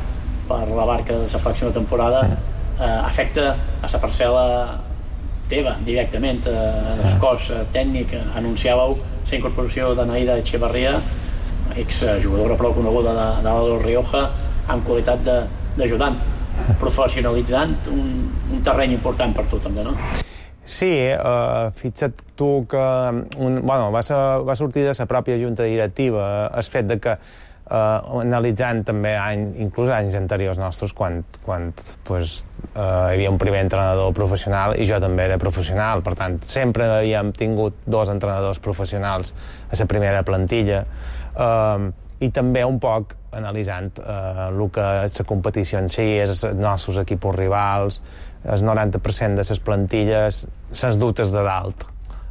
per la Barca de la pròxima temporada eh, afecta a la parcel·la teva, directament. Eh, el cos tècnic anunciàveu la incorporació de Naida Echevarria, exjugadora prou coneguda de, de l'Aldo Rioja, en qualitat d'ajudant, professionalitzant un, un terreny important per tu també, no? Sí, uh, fixa't tu que un, bueno, va, ser, va sortir de la pròpia junta directiva el fet de que uh, analitzant també anys, inclús anys anteriors nostres, quan, quan pues, uh, hi havia un primer entrenador professional i jo també era professional, per tant sempre havíem tingut dos entrenadors professionals a la primera plantilla, uh, i també un poc analitzant uh, el que és la competició en si, els nostres equips rivals, el noranta per cent de les plantilles, les dutes de dalt,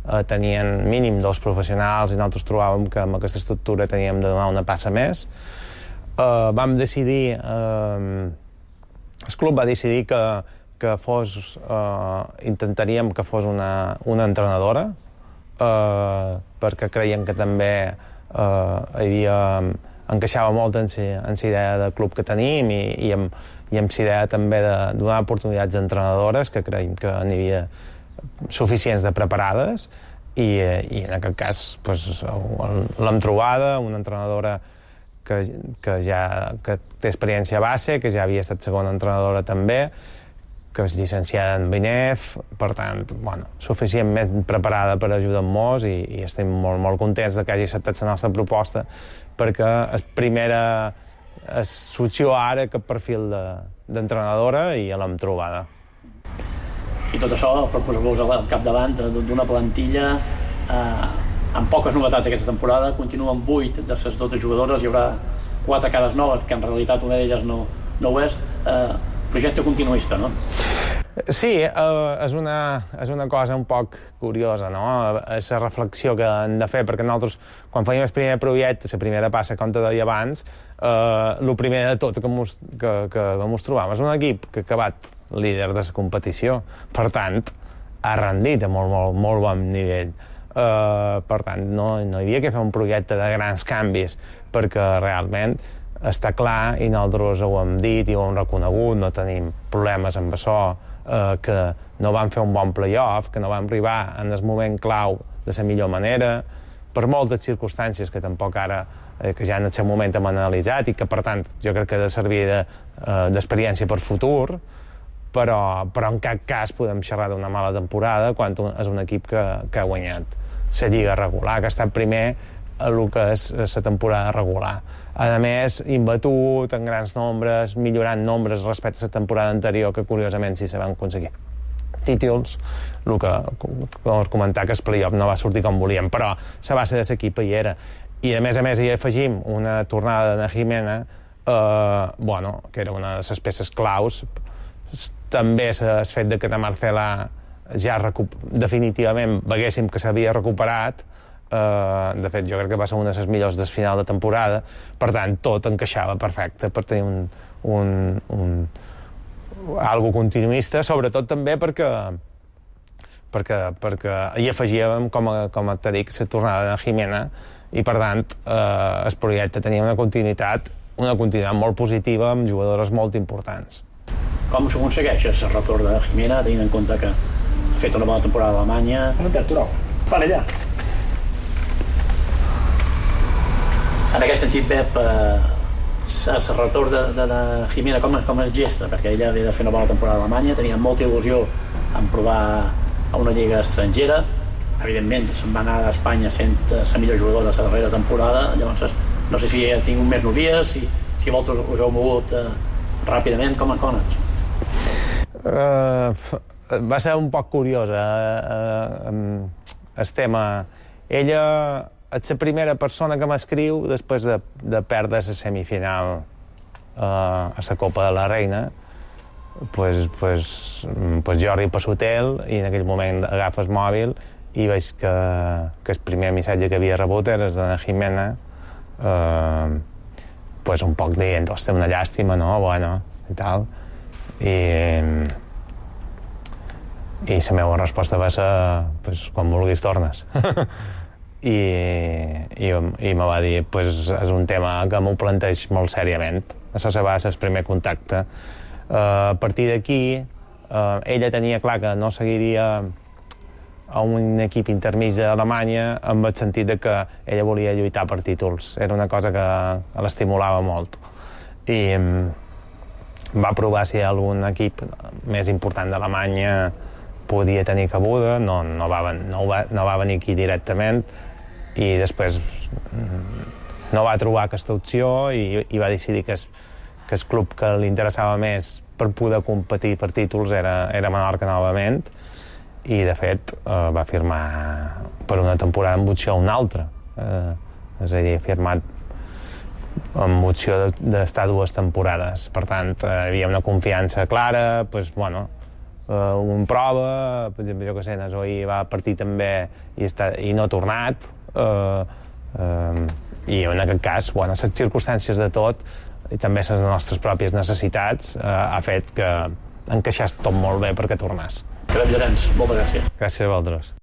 eh, tenien mínim dos professionals i nosaltres trobàvem que amb aquesta estructura teníem de donar una passa més. Eh, vam decidir, eh, el club va decidir que, que fos, eh, intentaríem que fos una, una entrenadora, eh, perquè creiem que també eh, hi havia encaixava molt en la idea del club que tenim i, i amb, i amb la idea també de donar oportunitats a entrenadores, que creiem que n'hi havia suficients de preparades, i, i en aquest cas pues, l'hem trobada, una entrenadora que, que ja que té experiència a base, que ja havia estat segona entrenadora també, que és llicenciada en B N E F, per tant, bueno, suficientment preparada per ajudar-nos i, i estem molt, molt contents de que hagi acceptat la nostra proposta, perquè és primera és sorgiu ara aquest perfil d'entrenadora de, i l'hem trobada. I tot això per posar-vos al capdavant d'una plantilla eh, amb poques novetats aquesta temporada. Continuen vuit de les dotze jugadores, hi haurà quatre cares noves, que en realitat una d'elles no, no ho és. Eh, projecte continuista, no? Sí, eh, és, una, és una cosa un poc curiosa, no? És la reflexió que hem de fer, perquè nosaltres, quan fèiem el primer projecte, la primera passa, com te deia abans, eh, el primer de tot que mos, que, que, que mos trobàvem és un equip que ha acabat líder de la competició, per tant, ha rendit a molt, molt, molt bon nivell. Eh, per tant, no, no hi havia que fer un projecte de grans canvis, perquè realment està clar, i nosaltres ho hem dit i ho hem reconegut, no tenim problemes amb això, eh, que no vam fer un bon play-off, que no vam arribar en el moment clau de la millor manera, per moltes circumstàncies que tampoc ara, eh, que ja en el seu moment hem analitzat i que, per tant, jo crec que ha de servir d'experiència de, eh, per futur, però, però en cap cas podem xerrar d'una mala temporada quan és un equip que, que ha guanyat la lliga regular, que ha estat primer a el que és la temporada regular. A més, imbatut en grans nombres, millorant nombres respecte a la temporada anterior, que curiosament sí se van aconseguir títols, el que, com us comentar, que el play-off no va sortir com volíem, però la base de l'equip hi era. I a més a més hi afegim una tornada de Jimena eh, bueno, que era una de les peces claus. També el fet de que de Marcela ja recup... definitivament veguéssim que s'havia recuperat. Uh, de fet, jo crec que va ser una de les millors del final de temporada, per tant, tot encaixava perfecte per tenir un, un, un algo continuista, sobretot també perquè perquè, perquè hi afegíem, com, a, com t'he dit, la tornada de Jimena, i per tant uh, el projecte tenia una continuïtat una continuïtat molt positiva amb jugadores molt importants. Com s'aconsegueix el retorn de Jimena, tenint en compte que ha fet una bona temporada a Alemanya? No t'he aturat, per allà. En aquest sentit, Pep, eh, el retorn de, de, de Jimena com, com es gesta? Perquè ella havia de fer una bona temporada a Alemanya, tenia molta il·lusió en provar a una lliga estrangera, evidentment se'n va anar a Espanya sent la millor jugadora de la darrera temporada, llavors no sé si ha tingut més novies, si, si vosaltres us heu mogut eh, ràpidament, com, com ha anat? Uh, va ser un poc curiosa uh, uh, el tema. Ella és la primera persona que m'escriu després de, de perdre la semifinal uh, a la Copa de la Reina. Pues, pues, pues jo arribo a l'hotel i en aquell moment agafo el mòbil i veig que, que el primer missatge que havia rebut era el de la Jimena, uh, pues un poc dient, hòstia, una llàstima, no? Bueno, i tal. I, i la meva resposta va ser, pues, quan vulguis tornes. I, i, i me va dir, pues, és un tema que m'ho planteix molt seriament. Això va ser el primer contacte. Uh, a partir d'aquí, uh, ella tenia clar que no seguiria a un equip intermig d'Alemanya amb el sentit de que ella volia lluitar per títols. Era una cosa que l'estimulava molt. I um, va provar si algun equip més important d'Alemanya podia tenir cabuda, no, no, va, no, va, no va venir aquí directament, i després no va trobar aquesta opció i, i va decidir que el, que el club que li interessava més per poder competir per títols era, era Menorca novament, i de fet eh, va firmar per una temporada amb opció una altra, eh, és a dir, ha firmat amb opció d'estar dues temporades, per tant eh, hi havia una confiança clara, pues, bueno, Uh, un prova, per exemple, jo que sé, Nasoí va partir també i, està, i no ha tornat, uh, uh, i en aquest cas, bueno, les circumstàncies de tot i també les nostres pròpies necessitats uh, ha fet que encaixés tot molt bé perquè tornàs. Pep Llorenç, moltes gràcies. Gràcies a vosaltres.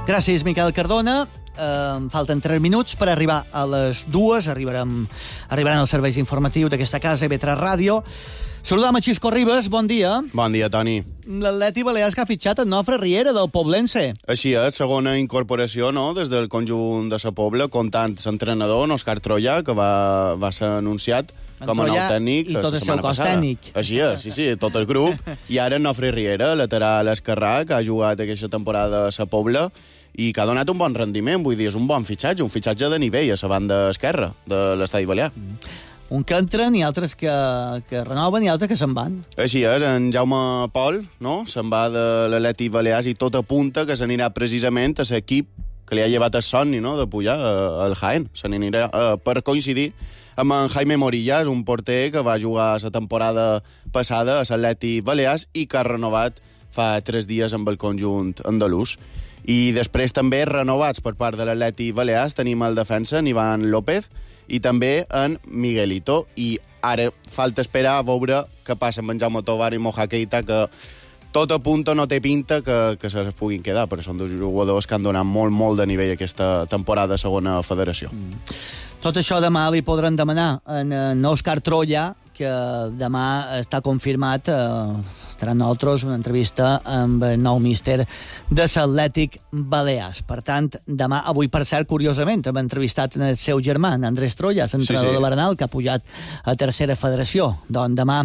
Gràcies, Miquel Cardona. Uh, falten tres minuts per arribar a les dues. Arribarem, arribaran els serveis informatius d'aquesta casa, I V tres Ràdio. Saludam a Xisco Ribas, bon dia. Bon dia, Toni. L'Atleti Balears que ha fitxat en Nofre Riera, del Poblense. Així és, segona incorporació, no?, des del conjunt de sa Pobla, comptant l'entrenador, Òscar Troia, que va, va ser anunciat en com a nou tècnic i tot el seu cos tècnic. Així és, sí, sí, tot el grup. I ara Nofre Riera, lateral esquerrà, que ha jugat aquesta temporada a sa Pobla i que ha donat un bon rendiment, vull dir, és un bon fitxatge, un fitxatge de nivell a la banda esquerra de l'estadi balear. Mm. Un que entren i altres que, que renoven i altres que se'n van. Així és, en Jaume Pol, no?, se'n va de l'Atleti Balears i tot apunta que s'anirà precisament a l'equip que li ha llevat el somni, no?, de pujar al Jaén. Se n'anirà uh, per coincidir amb en Jaime Morillas, un porter que va jugar la temporada passada a l'Atleti Balears i que ha renovat fa tres dies amb el conjunt andalús. I després també renovats per part de l'Atleti Balears tenim el defensa, en Ivan López, i també en Miguelito. I ara falta esperar a veure què passa amb en Jaume Tovar i Moja Keita, que tot apunta, no té pinta que, que se puguin quedar, però són dos jugadors que han donat molt, molt de nivell aquesta temporada a segona federació. Mm. Tot això demà li podran demanar en, en Òscar Troia, que demà està confirmat, eh, estarà amb nosaltres una entrevista amb el nou míster de l'Atlètic Balears. Per tant, demà, avui, per cert, curiosament, hem entrevistat el seu germà, Andrés Troia, l'entrenador sí, sí. de l'Arenal, que ha pujat a tercera federació. Doncs demà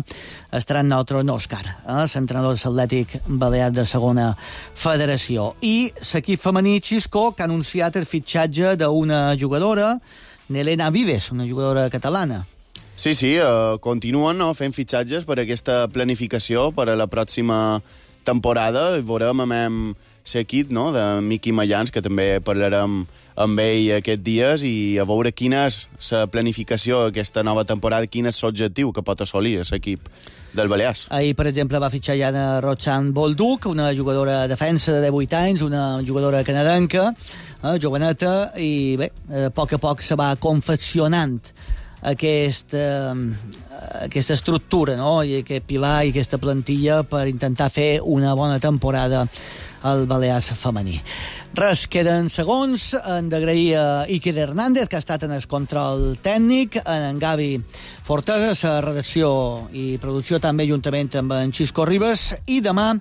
estarà amb nosaltres Òscar, eh, l'entrenador de l'Atlètic Balears de segona federació. I l'equip femení Xisco, que ha anunciat el fitxatge d'una jugadora, Nelena Vives, una jugadora catalana. Sí, sí, uh, continuen no, fent fitxatges per aquesta planificació per a la pròxima temporada. Veurem amb l'equip no, de Miqui Mayans, que també parlarem amb ell aquests dies, i a veure quina és la planificació d'aquesta nova temporada, quin és l'objectiu que pot assolir l'equip del Balears. Ahir, per exemple, va fitxar ja de Roxanne Bolduc, una jugadora de defensa de divuit anys, una jugadora canadenca, eh, joveneta, i bé, a poc a poc se va confeccionant aquesta, aquesta estructura, no? I aquest pilar i aquesta plantilla per intentar fer una bona temporada al Balears femení. Res, queden segons. Hem d'agrair a Iker Hernández, que ha estat en el control tècnic, en Gavi Fortesa, la redacció i producció també juntament amb en Xisco Ribas, i demà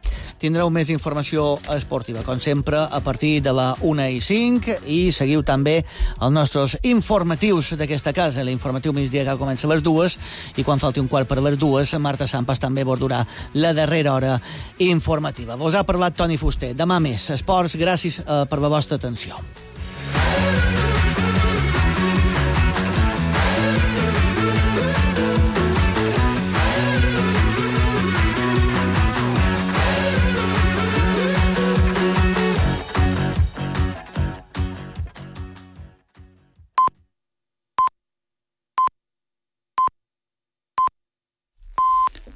tindreu més informació esportiva, com sempre, a partir de la una i cinc, i seguiu també els nostres informatius d'aquesta casa, l'informatiu migdia que comença a les dues, i quan falti un quart per les dues, Marta Sampas també abordarà la darrera hora informativa. Vos ha parlat Toni Fuster. Demà més esports. Gràcies eh, per la vostra atenció.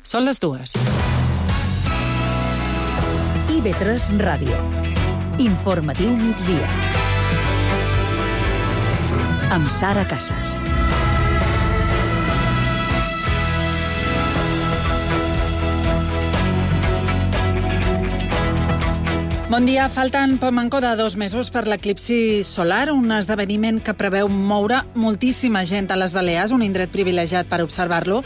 Són les dues. I ve tres Ràdio. Informatiu migdia. Amb Sara Casas. Bon dia. Falten poc manco de dos mesos per l'eclipsi solar, un esdeveniment que preveu moure moltíssima gent a les Balears, un indret privilegiat per observar-lo,